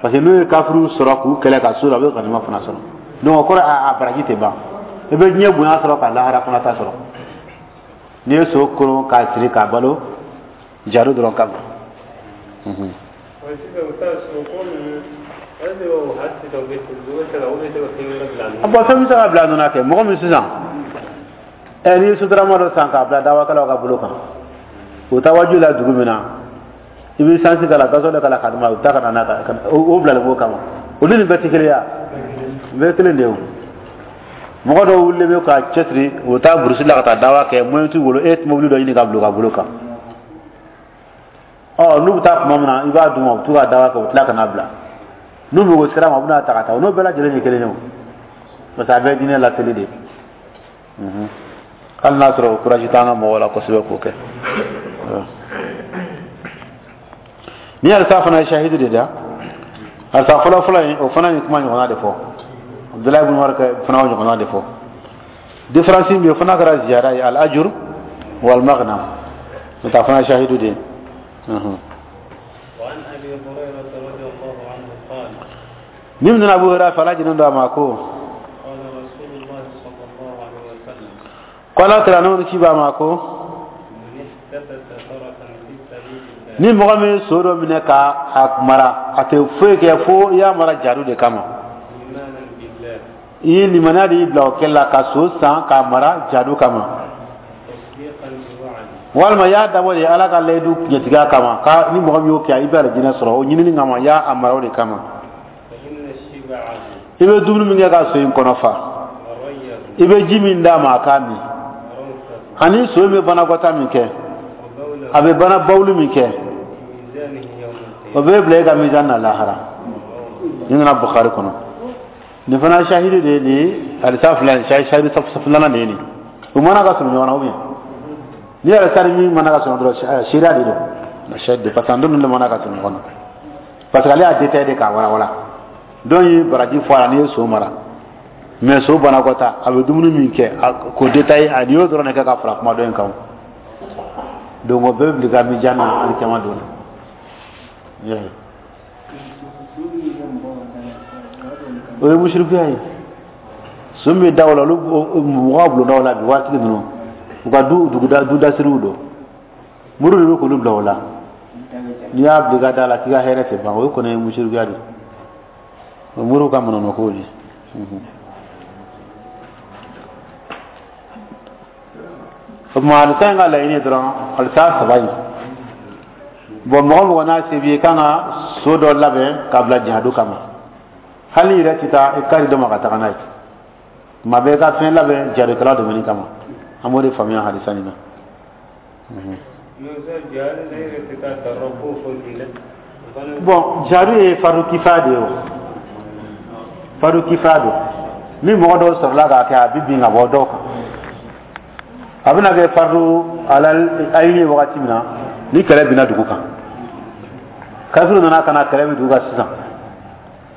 parce que n'u ye kafiriw sɔrɔ k'u kɛlɛ ka so la, a bɛ ganima fana sɔrɔ. Donc o kɔrɔ a baraji tɛ ban, i bɛ diɲɛ bonya sɔrɔ ka lahara fana ta sɔrɔ. N'i ye so koron k'a siri k'a balo jadu dɔrɔn kama. A bɔn fɛn bɛ se ka bila nɔ kɛ mɔgɔ min sisan, ɛ n'i ye sotarama dɔ san k'a bila dawakɛlaw ka bolo kan, u taa waju la dugu min na, i bɛ sansi k'a la, gasɔli k'a la k'a d'u ma, u bɛ taa ka na n'a kan, o bilalen b'o kama. Olu ni bɛɛ tɛ kelen ye, bɛɛ kelen de ye o. Mɔgɔ dɔw wulilen bɛ ka cɛsiri, u bɛ taa burusi la ka taa dawa kɛ, moyen t'u bolo, e ye mobili dɔ ɲini ka bila u ka bolo kan. Ɔ n'u bɛ taa tuma min na, i b'a d'u ma, u bɛ t'u ka dawa kɛ, u bɛ tila ka n'a bila. N'u mago sera ma, u bɛna ta ka taa, o n'o bɛɛ lajɛlen ye kelen ye o, parce que a bɛɛ ye diinɛ laseli de ye. Hali n'a sɔrɔ o courage t'an ka mɔgɔw la kosɛbɛ k'o kɛ. Ni alisa fana ye shahidi de da, alisa fɔlɔ fɔlɔ in o fana ye kuma ɲɔgɔnna de fɔ. Abdullahi ibn Umar fana o ɲɔgɔnna de fɔ. Différence min bɛ yen, o fana kɛra ziyara ye, al ajur wal maghnam, n'o tɛ a fana ye shahidu de ye. Ni min nana Abu Hurairah fɛ, ala jɛnnen don a ma ko ko ala kira n'o ci b'a ma ko ni mɔgɔ min ye so dɔ minɛ ka a mara, a tɛ foyi kɛ fo i y'a mara jadu de kama. I ye limaniya de y'i bila o kɛli la ka so san k'a mara jadu kama, walima i y'a dabɔ de ala ka layidu tiɲɛtigiya kama, ka ni mɔgɔ min y'o kɛ i bɛ alijinɛ sɔrɔ, o ɲinini kama i y'a mara o de kama. I bɛ dumuni min kɛ ka so in kɔnɔ fa, i bɛ ji min d'a ma a k'a min, ani so in bɛ banakɔta min kɛ, a bɛ bana bawuli min kɛ, o bɛ bila e ka mizan na lahara. Nin nana Bukhari kɔnɔ. Nin fana shahidi de ye nin hadisa fila in, shahidi filanan de ye nin. U mana ka surun ɲɔgɔn na ou bien ni yɛrɛ sari min mana ka surun dɔrɔn, seereya de don, shahidi, parce que an ninnu de mana ka surun ɲɔgɔn na, parce que ale y'a détaillé de k'a walawala. Dɔw ye baraji fɔ a la n'i ye so mara, mais so banakɔta a bɛ dumuni min kɛ k'o détaillé, a y'o dɔrɔn de kɛ ka fara kuma dɔ in kan. Donc o bɛɛ bɛ bila ka mijan na alikiyama don na. O ye musirikuya ye. So min bɛ da o la, olu mɔgɔw bulondaw la bi waati ninnu, u ka du duguda dudasiriw don, muru de bɛ k'olu bila o la. N'i y'a bila i ka da la k'i ka hɛrɛ tɛ ban, o kɔni ye musirikuya de ye, o muru ka manamanakow de ye. O tuma alisa in ka laɲini dɔrɔn, alisa saba in, bɔn mɔgɔ mɔgɔ n'a se b'i ye, i kan ka so dɔ labɛn k'a bila jihadu kama. Hali yɛrɛ tɛ taa i kari dɔ ma ka taga n'a ye, tuma bɛɛ i ka fɛn labɛn jihadukɛla dɛmɛni kama. An b'o de faamuya hadisa nin na. Bon, jihadu ye fardu kifaya de ye, o fardu kifaya don. Ni mɔgɔ dɔw sɔrɔla k'a kɛ, a bɛ bin ka bɔ dɔw kan. A bɛna kɛ fardu alal ayini ye wagati min na, ni kɛlɛ binna dugu kan, kafiriw nana ka na kɛlɛ bɛ dugu kan sisan,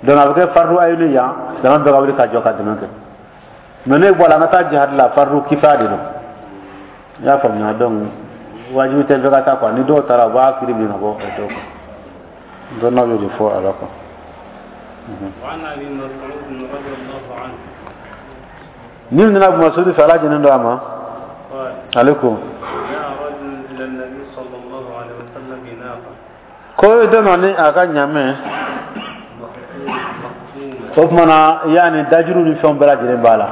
donc a bɛ kɛ fardu ayini yan, silamɛ bɛɛ ka wuli ka jɔ ka dɛmɛ kɛ. Mais n'e bɔra an ka taa jihad la, fardu kifaya de don, i y'a faamuya. Donc wajibi tɛ bɛɛ ka taa quoi, ni dɔw taara u b'a kiri bin ka bɔ dɔw kan. Dɔnnaw y'o de fɔ a la quoi. Ni nana Abu Masudi fɛ, ala jɛnnen don a ma, ale ko ko dɔ nana ni a ka ɲamɛ O tuma na, yaani dajuru ni fɛnw bɛɛ lajɛlen b'a la,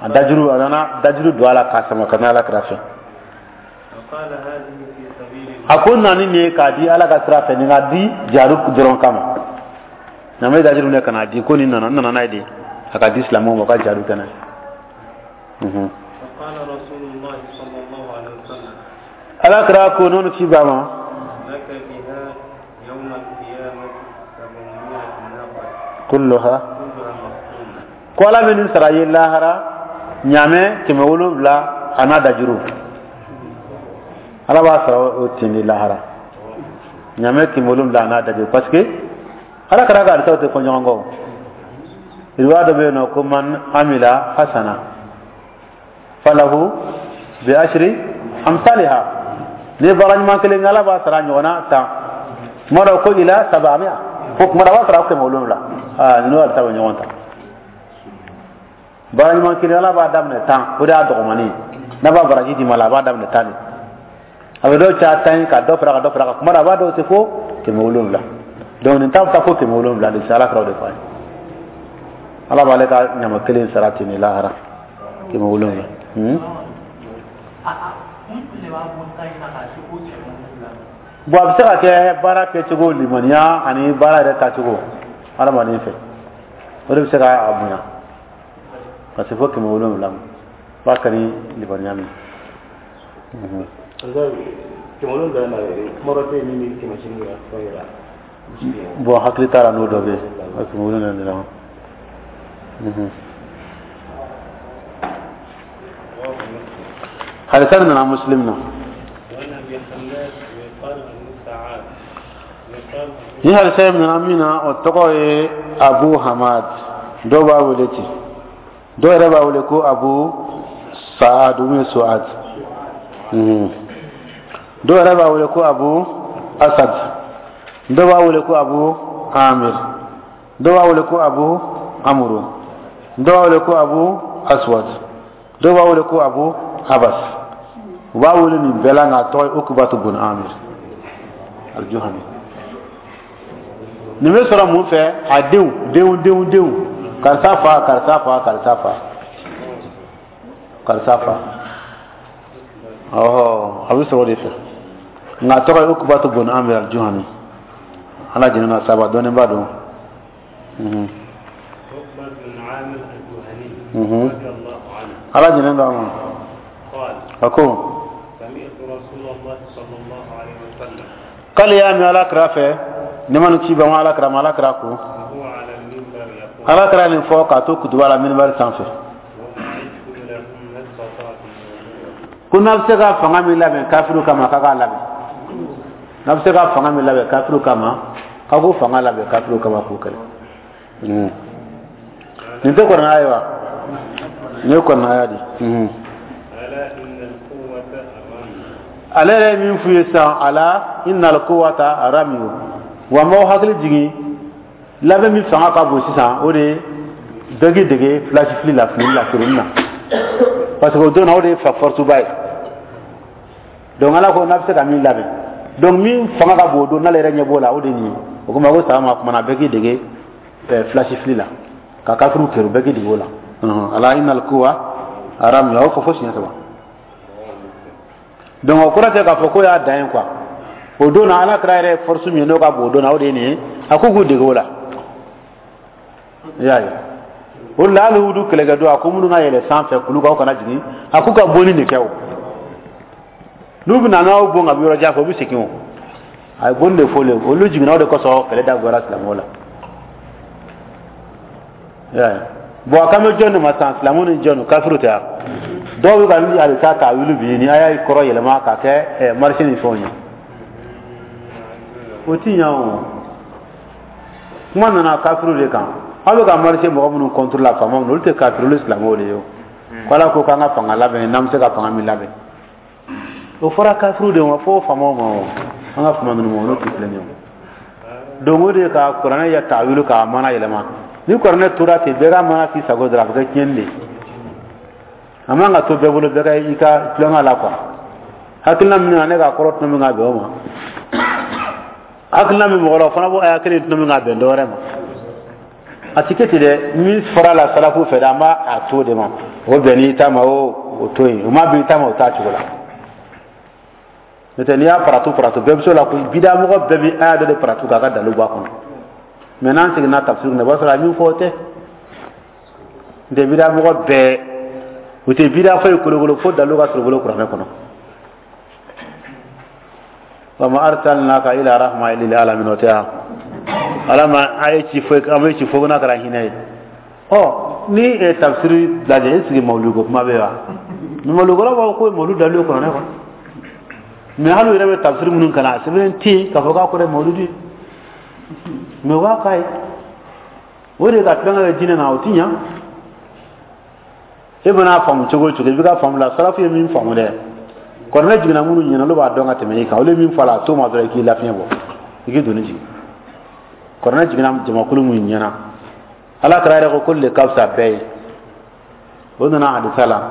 a dajuru, a nana dajuru don a la k'a sama ka na Ala kira fɛ. فقال هذه في سبيل الله. A ko na ni nin ye k'a di Ala ka sira fɛ, nin ka di jihadu dɔrɔn kama. Ɲamɛ dajuru minɛ ka n'a di, ko nin nana, n nana n'a ye de, a ka di silamɛw ma, u ka jihadu kɛ n'a ye. Mhm. فقال رسول الله صلى الله عليه وسلم Ala kira ko n'o ci ba ma: لك بها يوم القيامة سبعمائة ناقة كلها كلها مخصومة. Ko Ala bɛ nin sara ye lahara, ɲamɛ kɛmɛ wolonwula a n'a dajuru, Ala b'a sara o ten de lahara, ɲamɛ kɛmɛ wolonwula a n'a dajuru, parce que Ala kira ka hadisaw tɛ fɔ ɲɔgɔn kɔ. O riwaya dɔ bɛ yen nɔ ko من عمل حسنة فله بعشر أمثالها, ni baara ɲuman kelen kɛ, Ala b'a sara ɲɔgɔnna tan. Tuma dɔ ko إلى سبعمائة, fo tuma dɔ a b'a sara kɛmɛ wolonwula. Aa, ninnu hadisa bɛ ɲɔgɔn ta. Baara ɲuman kelen, Ala b'a daminɛ tan, o de y'a dɔgɔmani ye. N'a b'a baraji d'i ma la, a b'a daminɛ tan de, a bɛ dɔw ca tan ye, ka dɔ fara, ka dɔ fara kan. Kuma dɔ a b'a dɔw se fo kɛmɛ wolonwula. Donc nin ta bɛ taa fo kɛmɛ wolonwula de se. Ala kɛra o de fɔ a ye, Ala b'ale ka ɲama kelen sara ten de lahara, kɛmɛ wolonwula. Hmm? Kun de b'a bɔ ta in na k'a se ko kɛmɛ wolonwula? Bon, a bɛ se ka kɛ baara kɛcogo, limaniya ani baara yɛrɛ taacogo hadamaden fɛ, o de bɛ se k'a bonya ka se fo kɛmɛ wolonwula ma, b'a kɛ ni limaniya min ye. Mhm. Kɛmɛ wolonwula na yɛrɛ, kuma dɔ tɛ yen min bɛ kɛmɛ seegin yira, fɛn yira. Bon, hakili t'a la n'o dɔ bɛ yen, kɛmɛ wolonwula de la. Mhm. رواه مسلم. Hadisa nin nana Muslim na. وعن أبي حماد ويقال أبو سعاد ويقال أبو Ni hadisa in nana min na, o tɔgɔ ye Abu Hamad, dɔw b'a wele ten, dɔw yɛrɛ b'a wele ko Abu Saad ou bien Suad. Mhm. dɔw yɛrɛ b'a wele ko Abu Asad, dɔw b'a wele ko Abu Amir, dɔw b'a wele ko Abu Amuru, dɔw b'a wele ko Abu Aswad, dɔw b'a wele ko Abu Abbas. U b'a wele nin bɛɛ la, nka a tɔgɔ ye Ukubatu bun Amir Aljuhani. Nin bɛ sɔrɔ mun fɛ? A denw, denw, denw, denw, karisa fa, karisa fa, karisa fa, karisa fa, ɔhɔ, a bɛ sɔrɔ o de fɛ. Nka a tɔgɔ ye Ukubatu bun Amir Aljuhani. Ala jɛnɛ na saba dɔnnibaa don. Mhm. عقبة بن عامر الجهني Mhm. رضي الله عنه Ala jɛnɛ d'a ma. قال A ko: سمعت رسول الله صلى الله عليه وسلم k'ale y'a mɛn Ala kira fɛ, ne ma nin ci ba ma Ala kira ma, Ala kira ko وهو على المنبر يقول: Ala kira nin fɔ k'a to kutuba la minibari sanfɛ: وأعدوا لهم ما استطعتم من قوة. Ko n'a bɛ se ka fanga min labɛn kafiriw kama, k'a k'a labɛn. N'a bɛ se ka fanga min labɛn kafiriw kama, k'a k'o fanga labɛn kafiriw kama k'o kɛlɛ. Mhm. Nin tɛ kuranɛ ye wa? Nin ye kuranɛ aya de. Mhm. ألا إن القوة الرمي. Ale yɛrɛ ye min f'u ye sisan, ألا إن القوة الرمي, wa n b'aw hakili jigin, labɛn min fanga ka bon sisan, o de ye bɛɛ k'i dege filasi fili la, fili la, kerunni na, parce que o don na, o de ye fa force ba ye. Donc Ala ko n'a bɛ se ka min labɛn, donc min fanga ka bon o don, n'ale yɛrɛ ɲɛ b'o la, o de ye nin ye. O komi a ko sama ma kumana, bɛɛ k'i dege ɛɛ filasi fili la ka kafiriw kɛrɛ, bɛɛ k'i dege o la. Ɔhɔn, ألا إن القوة الرمي, a y'o fɔ fo siɲɛ saba. Donc o kɔrɔ tɛ k'a fɔ ko y'a dan ye quoi. O don na, Ala kira yɛrɛ ye force min ye n'o ka bon o don na, o de ye nin ye. A ko k'u dege o la, i y'a ye. O de la, hali wudu kɛlɛkɛ don, a ko minnu ka yɛlɛ sanfɛ kulu kan, o kana jigin. A k'u ka bonni de kɛ. O n'u bɛna n'aw bon ka bɔ yɔrɔ jan fɛ, u bɛ segin. O a ye bonni de fɔ olu ye. Olu jiginna, o de kosɔn kɛlɛ dagoyara silamɛw la, i y'a ye. Bon, a kan bɛ jɔn de ma sisan? Silamɛw ni jɔn? Kafiriw tɛ yan? Dɔw bɛ ka halisa k'a wuli bi ni a y'a kɔrɔ yɛlɛma k'a kɛ ɛ marché ni fɛnw ye. O ti ɲɛ. O kuma nana kafiriw de kan. Aw bɛ ka marché mɔgɔ minnu contre la, faama minnu, olu tɛ kafiri, olu silamɛw de ye. O ko Ala ko k'an ka fanga labɛn, n'an bɛ se ka fanga min labɛn, o fɔra kafiriw de ma, fo faamaw ma. O an ka faama ninnu ma, olu tɛ filɛ nin ye. O donc o de ye ka kuranɛ ya tawilu, k'a mana yɛlɛma. Ni kuranɛ tora ten, bɛɛ ka mana k'i sago dɔrɔn, a bɛ kɛ tiɲɛni de ye. A man ka to bɛɛ bolo, bɛɛ ka i ka tulonkɛ la quoi. Hakilina min na ne k'a kɔrɔ tuma min ka bɛn o ma, hakilina min mɔgɔ la, o fana b'o aya kelen tuma min ka bɛn dɔ wɛrɛ ma. A ti kɛ ten dɛ. Min fɔra la salafu fɛ dɛ, an b'a a to de ma. O bɛn n'i ta ma, o o to yen. O ma bɛn i ta ma, o t'a cogo la. N'o tɛ, n'i y'a paratu paratu, bɛɛ bɛ se o la koyi. Bidamɔgɔ bɛɛ bɛ aya dɔ de paratu k'a ka dalu bɔ a kɔnɔ. Mɛ n'an seginna tafsir kɔnɔ, i b'a sɔrɔ a min fɔ, o tɛ. N tɛ bidamɔgɔ bɛɛ, u tɛ bida foyi kolokolo fo dalu ka sɔrɔ u bolo kuranɛ kɔnɔ. Wa ma arsalnaka ila rahma lil alamin. O tɛ wa? Ala ma a ye ci foyi, an bɛ ci fo n'a kɛra hinɛ ye. Ɔ, ni ye tafsiri lajɛ, e sigi mawuludu ko kuma bɛ yen wa? Mawuludukɔrɔ b'a fɔ ko mawuludu dalu ye kuranɛ kɔnɔ. Mɛ hali u yɛrɛ bɛ tafsiri minnu kalan, a sɛbɛnnen tɛ yen k'a fɔ k'a kɔrɔ ye mawuludu ye. Mɛ u b'a k'a ye. O de ka tulonkɛ kɛ jinɛ na, o ti ɲa. E mana faamu cogo o cogo, i bɛ ka faamu la. Salafu ye min faamu dɛ, kuranɛ jiginna minnu ɲɛna, olu b'a dɔn ka tɛmɛ i kan. Olu ye min fɔ a la, a t'o ma dɔrɔn, i k'i lafiɲɛ bɔ, i k'i doni jigin. Kuranɛ jiginna jamakulu min ɲɛna, Ala kɛra yɛrɛ ko k'olu de ka fisa bɛɛ ye. O nana hadisa la: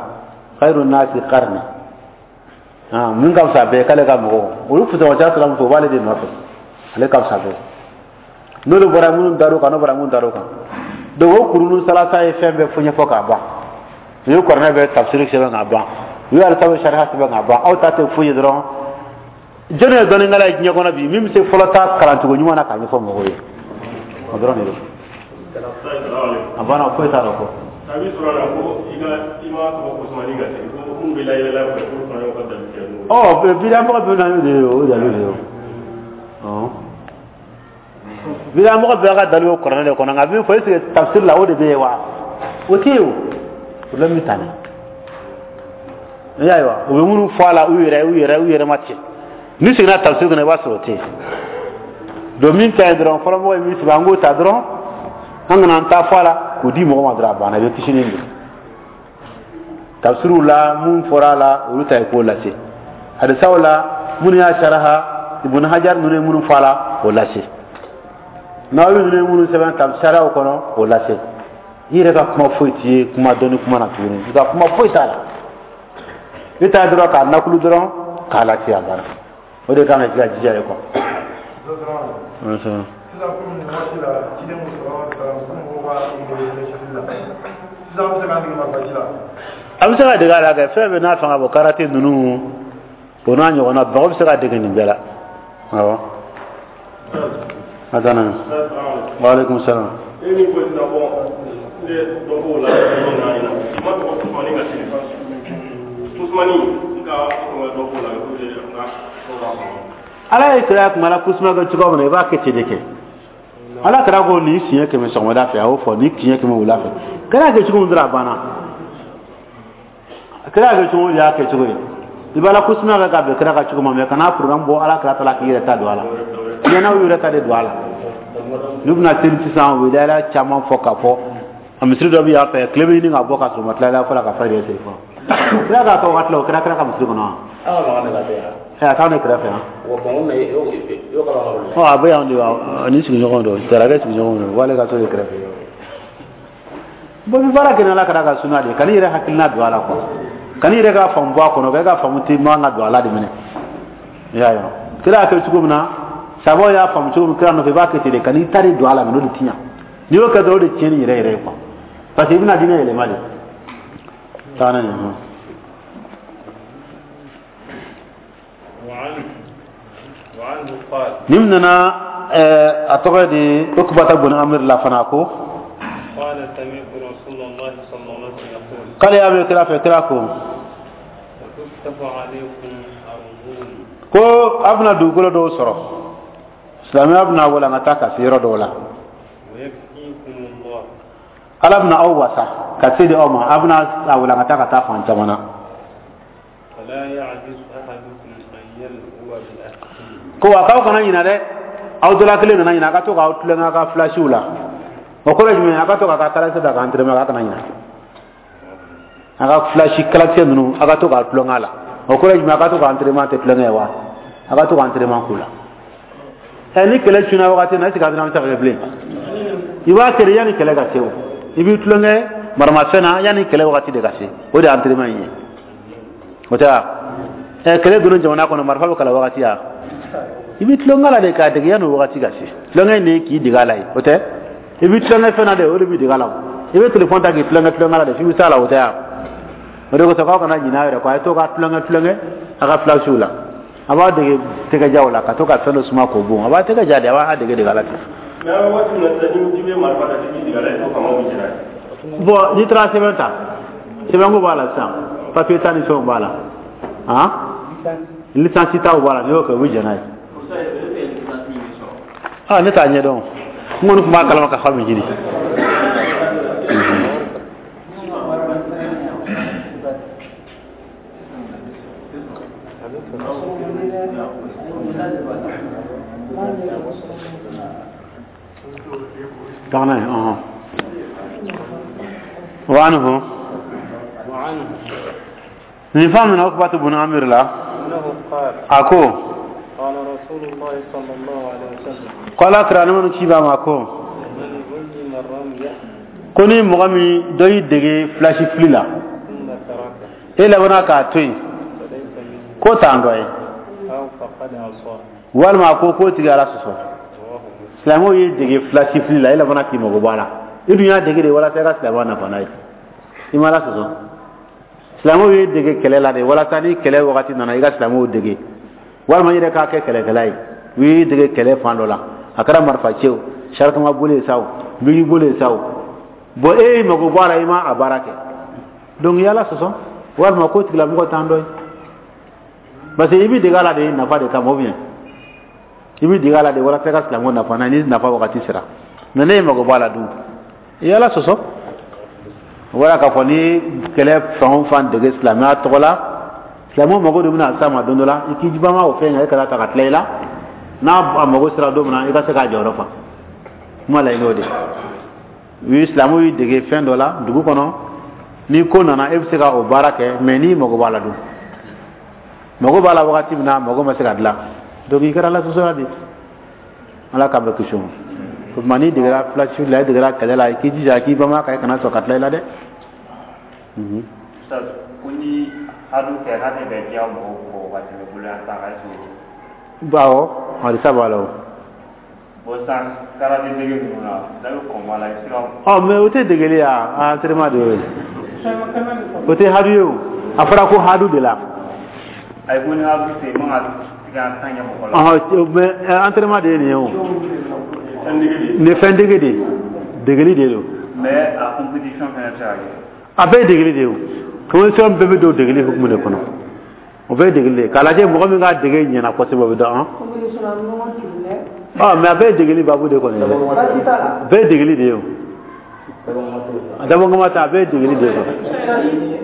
khairu nasi qarni. Ah, min ka fisa bɛɛ ye, k'ale ka mɔgɔw, olu fusamancɛ sira min fɛ, o b'ale de nɔfɛ, ale ka fisa bɛɛ. N'olu bɔra, minnu dar'o kan, n'o bɔra, minnu dar'o kan. Donc o kurunu salasa ye fɛn bɛɛ fɔ ɲɛfɔ k'a ban. U ye kuranɛ bɛɛ tafsiri sɛbɛn k'a ban, u ye alisa sariya sɛbɛn k'a ban. Aw ta tɛ foyi ye dɔrɔn. Jɔnni ye dɔnnikɛla ye diɲɛ kɔnɔ bi min bɛ se fɔlɔ ta kalancogo ɲuman na k'a ɲɛfɔ mɔgɔw ye? O dɔrɔn de don. A banna, foyi t'a la kɔ. A bɛ sɔrɔ a la ko i ka i ma tɔgɔ ko sumani ka sigi ko minnu bɛ layɛlɛ fɛ, k'olu fana y'o ka dalu kɛ n'o ye. Ɔ, bidamɔgɔ bɛ na n'o de ye, o dalu de ye. O bidamɔgɔ bɛɛ ka dalu bɛ kuranɛ de kɔnɔ. Nka min fɔ, est ce que tafsir la, o de bɛ yen wa? O tɛ yen. O problème bɛ tan de. I y'a ye wa? U bɛ minnu fɔ a la, u yɛrɛ u yɛrɛ u yɛrɛ ma ten. N'i seginna tafsir kɔnɔ, i b'a sɔrɔ o tɛ yen. Donc min ka ɲi dɔrɔn, fɔlɔmɔgɔ ye min sɛbɛn, an k'o ta dɔrɔn, an kana an ta fɔ a la k'o di mɔgɔ ma dɔrɔn, a banna, i bɛ kisi ni don. Tafsiriw la, mun fɔra a la, olu ta ye k'o lase. Hadisaw la, minnu y'a saraha, Ibn Hajar ninnu ye minnu fɔ a la, o lase. Nawawi ninnu ye minnu sɛbɛn tafsiriw kɔnɔ, o lase. I yɛrɛ ka kuma foyi t'i ye kuma dɔnni kuma na tuguni. I ka kuma foyi t'a la. I ta dɔrɔn k'a nakulu dɔrɔn k'a lase, a banna. O de kan ka k'i ka jija ye quoi. Sisan, komi nin waati la ciden ko sɔrɔ kalan ko mɔgɔw ka dege la, sisan an bɛ se k'an dege marifaci la? A bɛ se ka dege a la kɛ fɛn bɛɛ n'a fanga bɔ. Karate ninnu, o n'a ɲɔgɔnna, mɔgɔ bɛ se ka dege nin bɛɛ la. Awɔ, a danna. Waaleykum salaam. E min ko sisan, bɔn, ne dɔ b'o la min na ɲina, i ma tɔgɔ kusumani ka sigi kusumani n ka dɔ b'o la ko de n ka dɔ b'a kɔnɔ. Ala ye kira kuma la kusuma kɛ cogo min na, i b'a kɛ ten de. Kɛ Ala kɛra ko nin siɲɛ kɛmɛ sɔgɔmada fɛ, a y'o fɔ nin siɲɛ kɛmɛ wula fɛ. Kira kɛ cogo min dɔrɔn, a banna. Kira kɛ cogo min y'a kɛ cogo ye. I b'a la kusuma kɛ ka bɛn kira ka cogo ma, mɛ kana programme bɔ Ala kira ta la k'i yɛrɛ ta don a la. Ɲɛna, u yɛrɛ ta de don a la. N'u bɛna seli sisan, u bɛ dayɛlɛ caman fɔ k'a fɔ a misiri dɔ bɛ yan fɛ, tile bɛ ɲini ka bɔ ka sɔrɔ u ma tila fɔlɔ ka fajiri seli fɔlɔ. Kira k'a kɛ wagati la, o kɛra kira ka misiri kɔnɔ wa? Ɛ, a t'anw de kɛrɛfɛ yan. Ɔ, a bɛ yan de wa? Ni sigiɲɔgɔn don, Jarakɛ sigiɲɔgɔn don, w'ale ka so de kɛrɛfɛ. Bon, bi baara kɛ ni Ala kɛra ka suna de ye, kan'i yɛrɛ hakilina don a la quoi, kan'i yɛrɛ ka faamu bɔ a kɔnɔ, k'e ka faamu tɛ man ka don a la de minɛ. I y'a ye wa? Kira y'a kɛ cogo min na, sabaw y'a faamu cogo min kira nɔfɛ, i b'a kɛ ten de. Kan'i ta de don a la minɛ, o de ti ɲa. N'i y'o kɛ dɔrɔn, o de tiɲɛni yɛrɛ yɛrɛ ye quoi, parce que i bɛna diinɛ yɛlɛma de. Taa n'a ye. وعنه وعنه قال: Nin nana, a tɔgɔ de Ukubata bun Amir la fana ko: قال: سمعت رسول الله صلى الله عليه وسلم يقول: K'ale y'a mɛn kira fɛ, kira ko: وتفتح عليكم أرضون. Ko a bɛna dugukolo dɔw sɔrɔ, silamɛya bɛna walankata ka se yɔrɔ dɔw la. ويكفيكم الله. Ala bɛna aw wasa ka se di aw ma, a bɛna a walankata ka taa fan caman na. فلا يعجز أحدكم أن يلهو بأهله. Ko wa k'aw kana ɲina dɛ, aw dɔ la kelen kana ɲina, a ka to k'aw tulonkɛ a ka filasiw la. O kɔrɔ ye jumɛn ye? A ka to k'a ka kalakisɛ ta k'an tɛrɛmɛ, k'a kana ɲina. A ka filasi kalakisɛ ninnu, a ka to k'a tulonkɛ a la. O kɔrɔ ye jumɛn? A ka to k'an tɛrɛmɛ, tɛ tulonkɛ ye wa? A ka to k'an tɛrɛmɛ k'u la. Ɛ, ni kɛlɛ cunna wagati min na, est ce que a bɛna se ka kɛ bilen? I b'a kɛ de yanni kɛlɛ ka se. O i b'i tulonkɛ maramafɛn na yanni kɛlɛ wagati de ka se, o de ye entraînement in ye. O tɛ wa? Ɛ, kɛlɛ donna jamana kɔnɔ, marifa bɛ kalan wagati ya, i b'i tulonkɛ la de k'a dege yanni o wagati ka se. Tulonkɛ in de ye k'i dege a la ye, o tɛ. I bɛ tulonkɛ fɛn na de, o de b'i dege a la. I bɛ telefɔni ta k'i tulonkɛ tulonkɛ la de f'i bɛ s'a la, o tɛ yan. O de kosɔn k'aw kana ɲinɛ aw yɛrɛ kɔ, a ye to ka tulonkɛ tulonkɛ a ka filasiw la. A b'a dege tɛgɛjaw la, ka to ka fɛn dɔ suma k'o bon, a b'a tɛgɛ ja de, a b'a dege dege a la ten. Mais an bɛ waati min na sisan, ni bɛ marifa ta k'i dege a la, i t'o kama bɛ jɛra ye. Bon, n'i taara sɛbɛn ta, sɛbɛnko b'a la sisan, papier ta ni fɛnw b'a la, han, licence taw b'a la, n'i y'o kɛ, u bɛ jɛn n'a ye. Ah, ne t'a ɲɛdɔn, n kɔni tun b'a kalama ka fa min jiri. Taga n'a ye, ɔhɔn. Wa anhu. وعنه Nin fa min Ukbatu bun Amir la. أنه قال A ko قال رسول الله صلى الله عليه وسلم ko Ala kira ni minnu ci b'a ma ko من علم الرمي ko ni mɔgɔ min dɔ y'i dege filasi fili la, ثم تركه e labanna k'a to yen, فليس منه k'o t'an dɔ ye أو فقد عصاه walima a ko k'o tigi Ala sɔsɔ. رواه مسلم. Silamɛw y'i dege filasi fili la, e labanna k'i mago bɔ a la, i dun y'a dege de walasa i ka silamɛya nafa n'a ye, i ma Ala sɔsɔ. Silamɛw y'i dege kɛlɛ la de walasa ni kɛlɛ wagati nana, i ka silamɛw dege, walima i yɛrɛ k'a kɛ kɛlɛkɛla ye. U y'i dege kɛlɛ fan dɔ la, a kɛra marifa ci o, sarikama boli ye sa o, bigi boli ye sa o, bon, e y'i mago bɔ a la, i ma a baara kɛ, donc i y'Ala sɔsɔ walima k'o tigilamɔgɔ t'an dɔ ye, parce que i b'i dege a la de nafa de kama, ou bien i b'i dege a la de walasa i ka silamɛw nafa n'a ye ni nafa wagati sera. Mais ne y'i mago bɔ a la dun, i y'Ala sɔsɔ. O bɔra k'a fɔ ni kɛlɛ fan o fan dege silamɛya tɔgɔ la, silamɛw mago de bɛna s'a ma don dɔ la, i k'i banba o fɛn kan, e kana ta ka tila i la, n'a a mago sera don min na, i ka se k'a jɔyɔrɔ fa. Kuma laɲini o de u ye, silamɛw y'i dege fɛn dɔ la dugu kɔnɔ, ni ko nana, e bɛ se ka o baara kɛ, mais n'i mago b'a la dun, mago b'a la wagati min na, mago ma se ka dilan, donc i kɛra Ala sɔsɔla de. Ala k'an bɛɛ kisi o ma. O tuma n'i degera filasi la, i degera kɛlɛ la, i k'i jija k'i banba kan, i kana sɔn ka tila i la dɛ. Mhm. Ustaz, ko ni hadu kɛ k'a tɛ bɛn diya mɔgɔw kɔ ka tɛmɛ boloya ta kan, est-ce que Awɔ, hadisa b'a la o. Bon, sisan karate dege ninnu na, n'a bɛ kɔn b'a la, i bɛ se ka Ɔ, mais o tɛ degeli ya, entraînement de y'o ye. O tɛ hadu ye o. A fɔra ko hadu de la. Ayi, ko ni hadu tɛ, i man ka tigɛ tan kɛ mɔgɔ la. Ɔhɔn, mais entraînement de ye nin ye o. Fɛn dege de. Nin ye fɛn dege de ye. Degeli de don. Mais a compétition fɛnɛ bɛ se ka kɛ. A bɛɛ ye degeli de ye o. Compétition bɛɛ bɛ don degeli hukumu de kɔnɔ. O bɛɛ ye degeli de ye. K'a lajɛ mɔgɔ min ka dege ɲɛna kosɛbɛ, o bɛ dɔn. Ɔ, mais a bɛɛ ye degeli baabu de kɔni ye dɛ. A bɛɛ ye degeli de ye o. A dabɔkama ta, a bɛɛ ye degeli de ye quoi. Denmisɛnnin ye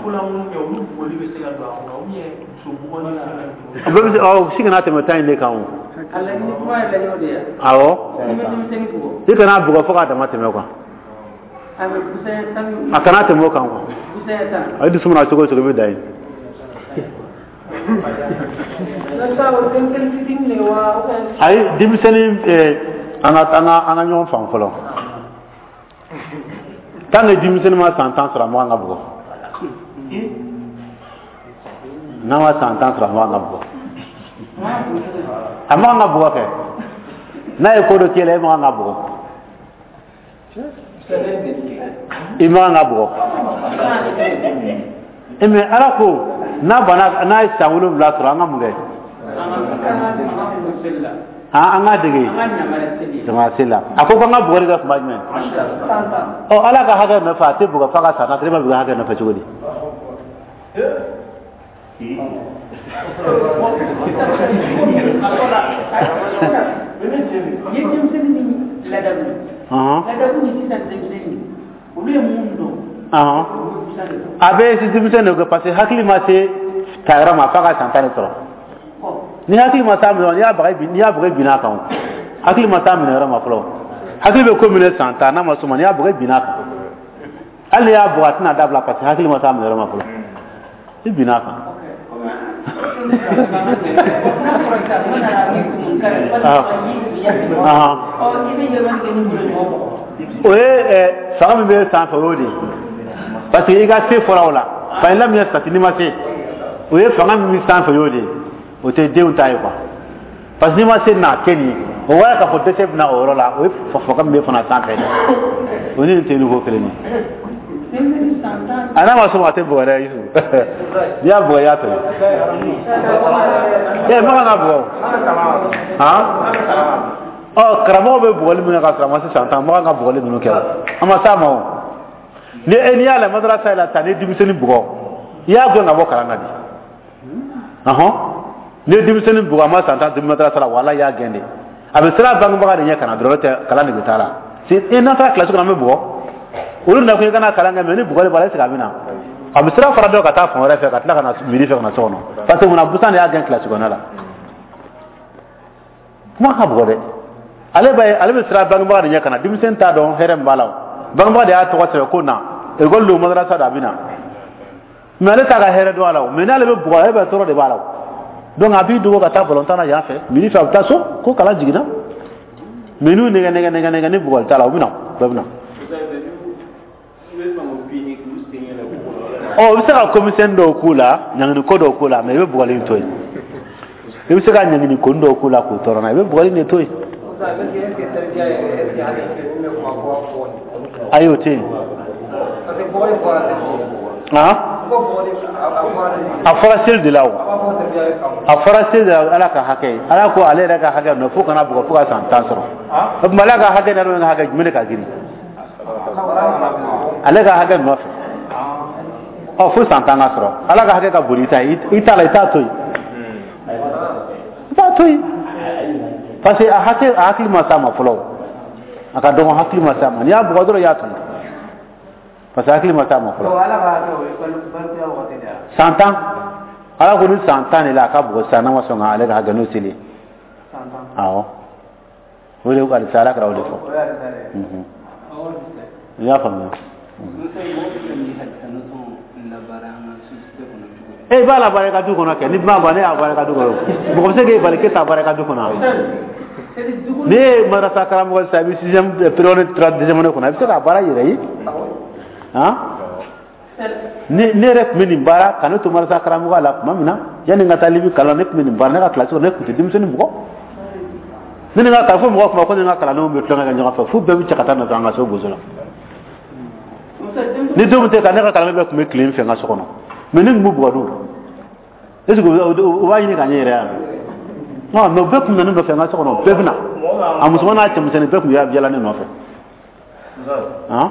kolankolon kɛ, olu bugɔli bɛ se ka don a kɔnɔ ou bien muso bugɔ ni fɛn ninnu? A bɛɛ bɛ se, ɔ, si kana tɛmɛ tan in de kan o. Awɔ. I kana bugɔ fo k'a dama tɛmɛ quoi. A kana tɛmɛ o kan quoi. A ye dusu mana cogo o cogo, i bɛ dan yen. Ayi, denmisɛnnin, ɛɛ, an ka an ka an ka ɲɔgɔn faamu fɔlɔ. Tant que denmisɛnnin ma san tan sɔrɔ, a man kan ka bugɔ. N'a ma san tan sɔrɔ, a man kan ka bugɔ. A man kan ka bugɔ kɛ. N'a ye ko dɔ k'e la, e man kan ka bugɔ. I man kan ka bugɔ. E mais Ala ko n'a banna, n'a ye san wolonwula sɔrɔ, an ka mun kɛ? Han, an k'a dege jama seli la. A ko k'an ka bugɔli kɛ tuma jumɛn? Ɔ, Ala ka hakɛ nɔfɛ, a tɛ bugɔ f'a ka san tan, e b'a bugɔ hakɛ nɔfɛ cogo di? Ɔhɔn. Ɔhɔn. A bɛ denmisɛnnin de kɛ, parce que hakili ma se tayɔrɔ ma f'a ka san tan de sɔrɔ. Ni hakili ma taa minɛ, n'i y'a baga, n'i y'a baga binna a kan o. Hakili ma taa minɛ yɔrɔ ma fɔlɔ. Hakili bɛ ko minɛ san tan, n'a ma s'o ma, n'i y'a baga binna a kan. Hali n'i y'a bugɔ, a tɛna dabila, parce que hakili ma taa minɛ yɔrɔ ma fɔlɔ. I binna a kan. O ye fanga min bɛ sanfɛ, o y'o de ye. Parce que i ka se fɔra o la. Fa i lamɛn sati n'i ma se. O ye fanga min bɛ sanfɛ, o y'o de ye. O tɛ denw ta ye quoi. Parce que n'i ma se n'a kɛ nin ye. O wara k'a fɔ dɛsɛ bɛna o yɔrɔ la, o ye fɔfɔka min bɛ fana sanfɛ dɛ, o ni nin tɛ niveau kelen ye. A n'a ma sɔn, a tɛ bugɔ dɛ. Yusu, n'i y'a bugɔ, i y'a to yen. Ɛ makan ka bugɔ han. Ɔ, karamɔgɔ bɛ bugɔli min kɛ ka sɔrɔ a ma se san tan, makan ka bugɔli ninnu kɛ o, a ma s'a ma o. Ni e n'i y'a lajɛ madarasa la tan, ni denmisɛnnin bugɔ, i y'a gɛn ka bɔ kalan na de. Ɔhɔn, ni ye denmisɛnnin bugɔ, a ma san tan madarasa la, wala y'a gɛn de. A bɛ siran bangebaga de ɲɛ ka na dɔrɔn, tɛ kalan de bɛ taa la. E n'an taara kilasi kɔnɔ, an bɛ bugɔ. Olu nakun i kana kalan kɛ, mɛ ni bugɔli b'a la, est ce que a bɛ na? A bɛ sira fara dɔ ka taa fan wɛrɛ fɛ, ka tila ka na midi fɛ ka na so kɔnɔ, parce que munna? Busan de y'a gɛn kilasi kɔnɔ la. Kuma ka bugɔ dɛ. Ale b'a ye, ale bɛ siran bangebaga de ɲɛ ka na. Denmisɛnnin t'a dɔn hɛrɛ min b'a la. O bangebaga de y'a tɔgɔ sɛbɛn ko na ekɔli don, madarasa don, a bɛ na, mɛ ale t'a ka hɛrɛ dɔn a la o. Mɛ n'ale bɛ bugɔ, ale bɛ tɔɔrɔ de b'a la o. Donc a b'i dogo ka taa balontan na yan fɛ, midi fɛ a bɛ taa so ko kalan jiginna. Mɛ n'u nɛgɛ nɛgɛ nɛgɛ nɛgɛ ni bugɔli t'a la, u bɛ na, bɛɛ bɛ na. Ɔ, i bɛ se ka komisɛni dɔw k'u la, ɲangini ko dɔw k'u la, mɛ i bɛ bugɔli in to yen. I bɛ se ka ɲangini ko dɔw k'u la k'u tɔɔrɔ n'a ye, i bɛ bugɔli in de to yen. Ayi, o tɛ yen. A fɔra seli de la o, a fɔra seli de la. Ala ka hakɛ, Ala ko ale yɛrɛ ka hakɛ nɔ fo kana bugɔ fo ka san tan sɔrɔ. O tuma, Ala ka hakɛ n'a ka hakɛ jumɛn de ka girin? Ale ka hakɛ nɔfɛ. Ɔ, fo san tan ka sɔrɔ. Ala ka hakɛ ka bon i ta ye. I t'a la, i t'a to yen, i b'a to yen, parce que a hakɛ, a hakili ma s'a ma fɔlɔ. A ka dɔgɔn, hakili ma s'a ma. N'i y'a bugɔ dɔrɔn, i y'a to yen, parce que hakili ma s'a ma fɔlɔ. San tan, Ala ko ni san tan de la, a ka bugɔ sisan, n'a ma sɔn ka ale ka hakɛ n'o seli. Awɔ, o de alisa, Ala kɛra o de fɔ. I y'a faamuya? E b'a la baara i ka du kɔnɔ kɛ, ni ma ban, ne y'a baara i ka du kɔnɔ. Mɔgɔ bɛ se k'e bali k'e t'a baara i ka du kɔnɔ? Ni ye madarasa karamɔgɔ sisan, i bɛ sixième période trois deuxième année kɔnɔ, i bɛ se k'a baara i yɛrɛ ye. Han, ne ne yɛrɛ tun bɛ nin baara ka ne to madarasa karamɔgɔya la tuma min na, yanni n ka taa Libi kalan, ne tun bɛ nin baara. Ne ka kilasi kɔnɔ, ne tun tɛ denmisɛnnin bugɔ. Ne ni n ka kalan fo mɔgɔw tun b'a fɔ ko ne ni n ka kalandenw bɛ tulonkɛ kɛ ɲɔgɔn fɛ, f'u bɛɛ bɛ cɛ ka taa nɔfɛ an ka so boso la. Ni don min tɛ ka ne ka kalanden bɛɛ tun bɛ tile n fɛ n ka so kɔnɔ, mɛ ne tun b'u bugɔ dun. Est ce que u b'a ɲini ka ɲɛ yɛrɛ yan? Non, mais u bɛɛ tun nana ne nɔfɛ n ka so kɔnɔ, bɛɛ bɛ na, a musoman n'a cɛmisɛnnin bɛɛ tun bɛ yala ne nɔfɛ. Han,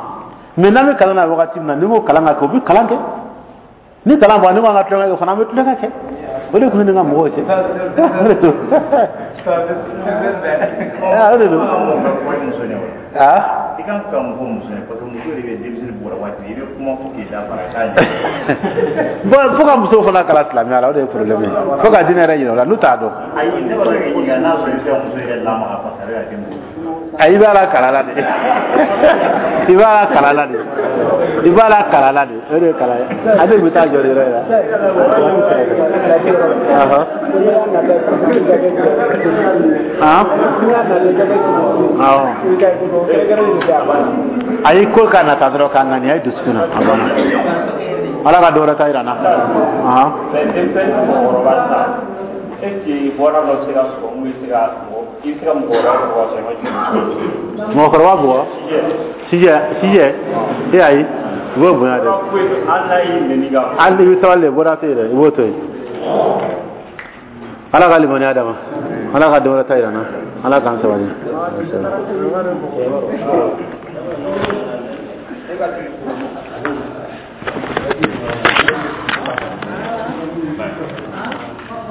mɛ n'an bɛ kalan na wagati min na, ni n ko kalan ka kɛ, u bɛ kalan kɛ. Ni kalan bɔra, ni ko an ka tulonkɛ kɛ fana, an bɛ tulonkɛ kɛ. O de tun bɛ ne ka mɔgɔw cɛ. O de don, o de don. Ah, i kan ka mun fɔ muso ye? Parce que muso de bɛ denmisɛnnin bugɔ waati, i bɛ kuma fo k'i da fara k'a ɲɛ. Bon, fo ka musow fana kalan silamɛya la, o de ye problème ye. Fo ka diinɛ yɛrɛ yira u la, n'u t'a dɔn. Ayi, ne b'a fɛ k'i ɲininka n'a sɔrɔ i bɛ se ka muso yɛrɛ lamaga, parce que a bɛ ka den bugɔ. Ayi, i b'a la kalan la de, i b'a la kalan la de, i b'a la kalan la de. O de ye kalan ye. Ale bɛ taa jɔ de yɔrɔ in la. Ɔhɔn. Han? Awɔ. Ayi, ko ka nata dɔrɔn k'a ŋaniya i dusukun na, a banna. Ala ka dɔ wɛrɛ ta yira n na. Ɔhɔn. Mais denmisɛnnin mɔgɔkɔrɔba sisan, est ce que bɔra dɔ bɛ se ka sɔrɔ mun bɛ se ka mɔgɔ, i bɛ se ka mɔgɔkɔrɔba bugɔ ka sɔrɔ i ma jigin? Mɔgɔkɔrɔba bugɔ? Sijɛ, sijɛ, e ayi, i b'o bonya dɛ. Hali n'a y'i nɛni ka. Hali i bɛ sabali de, bɔra tɛ yen dɛ, i b'o to yen. Ala ka limaniya d'a ma. Ala ka don wɛrɛ ta yira n na. Ala k'an sabali.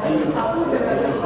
Thank you.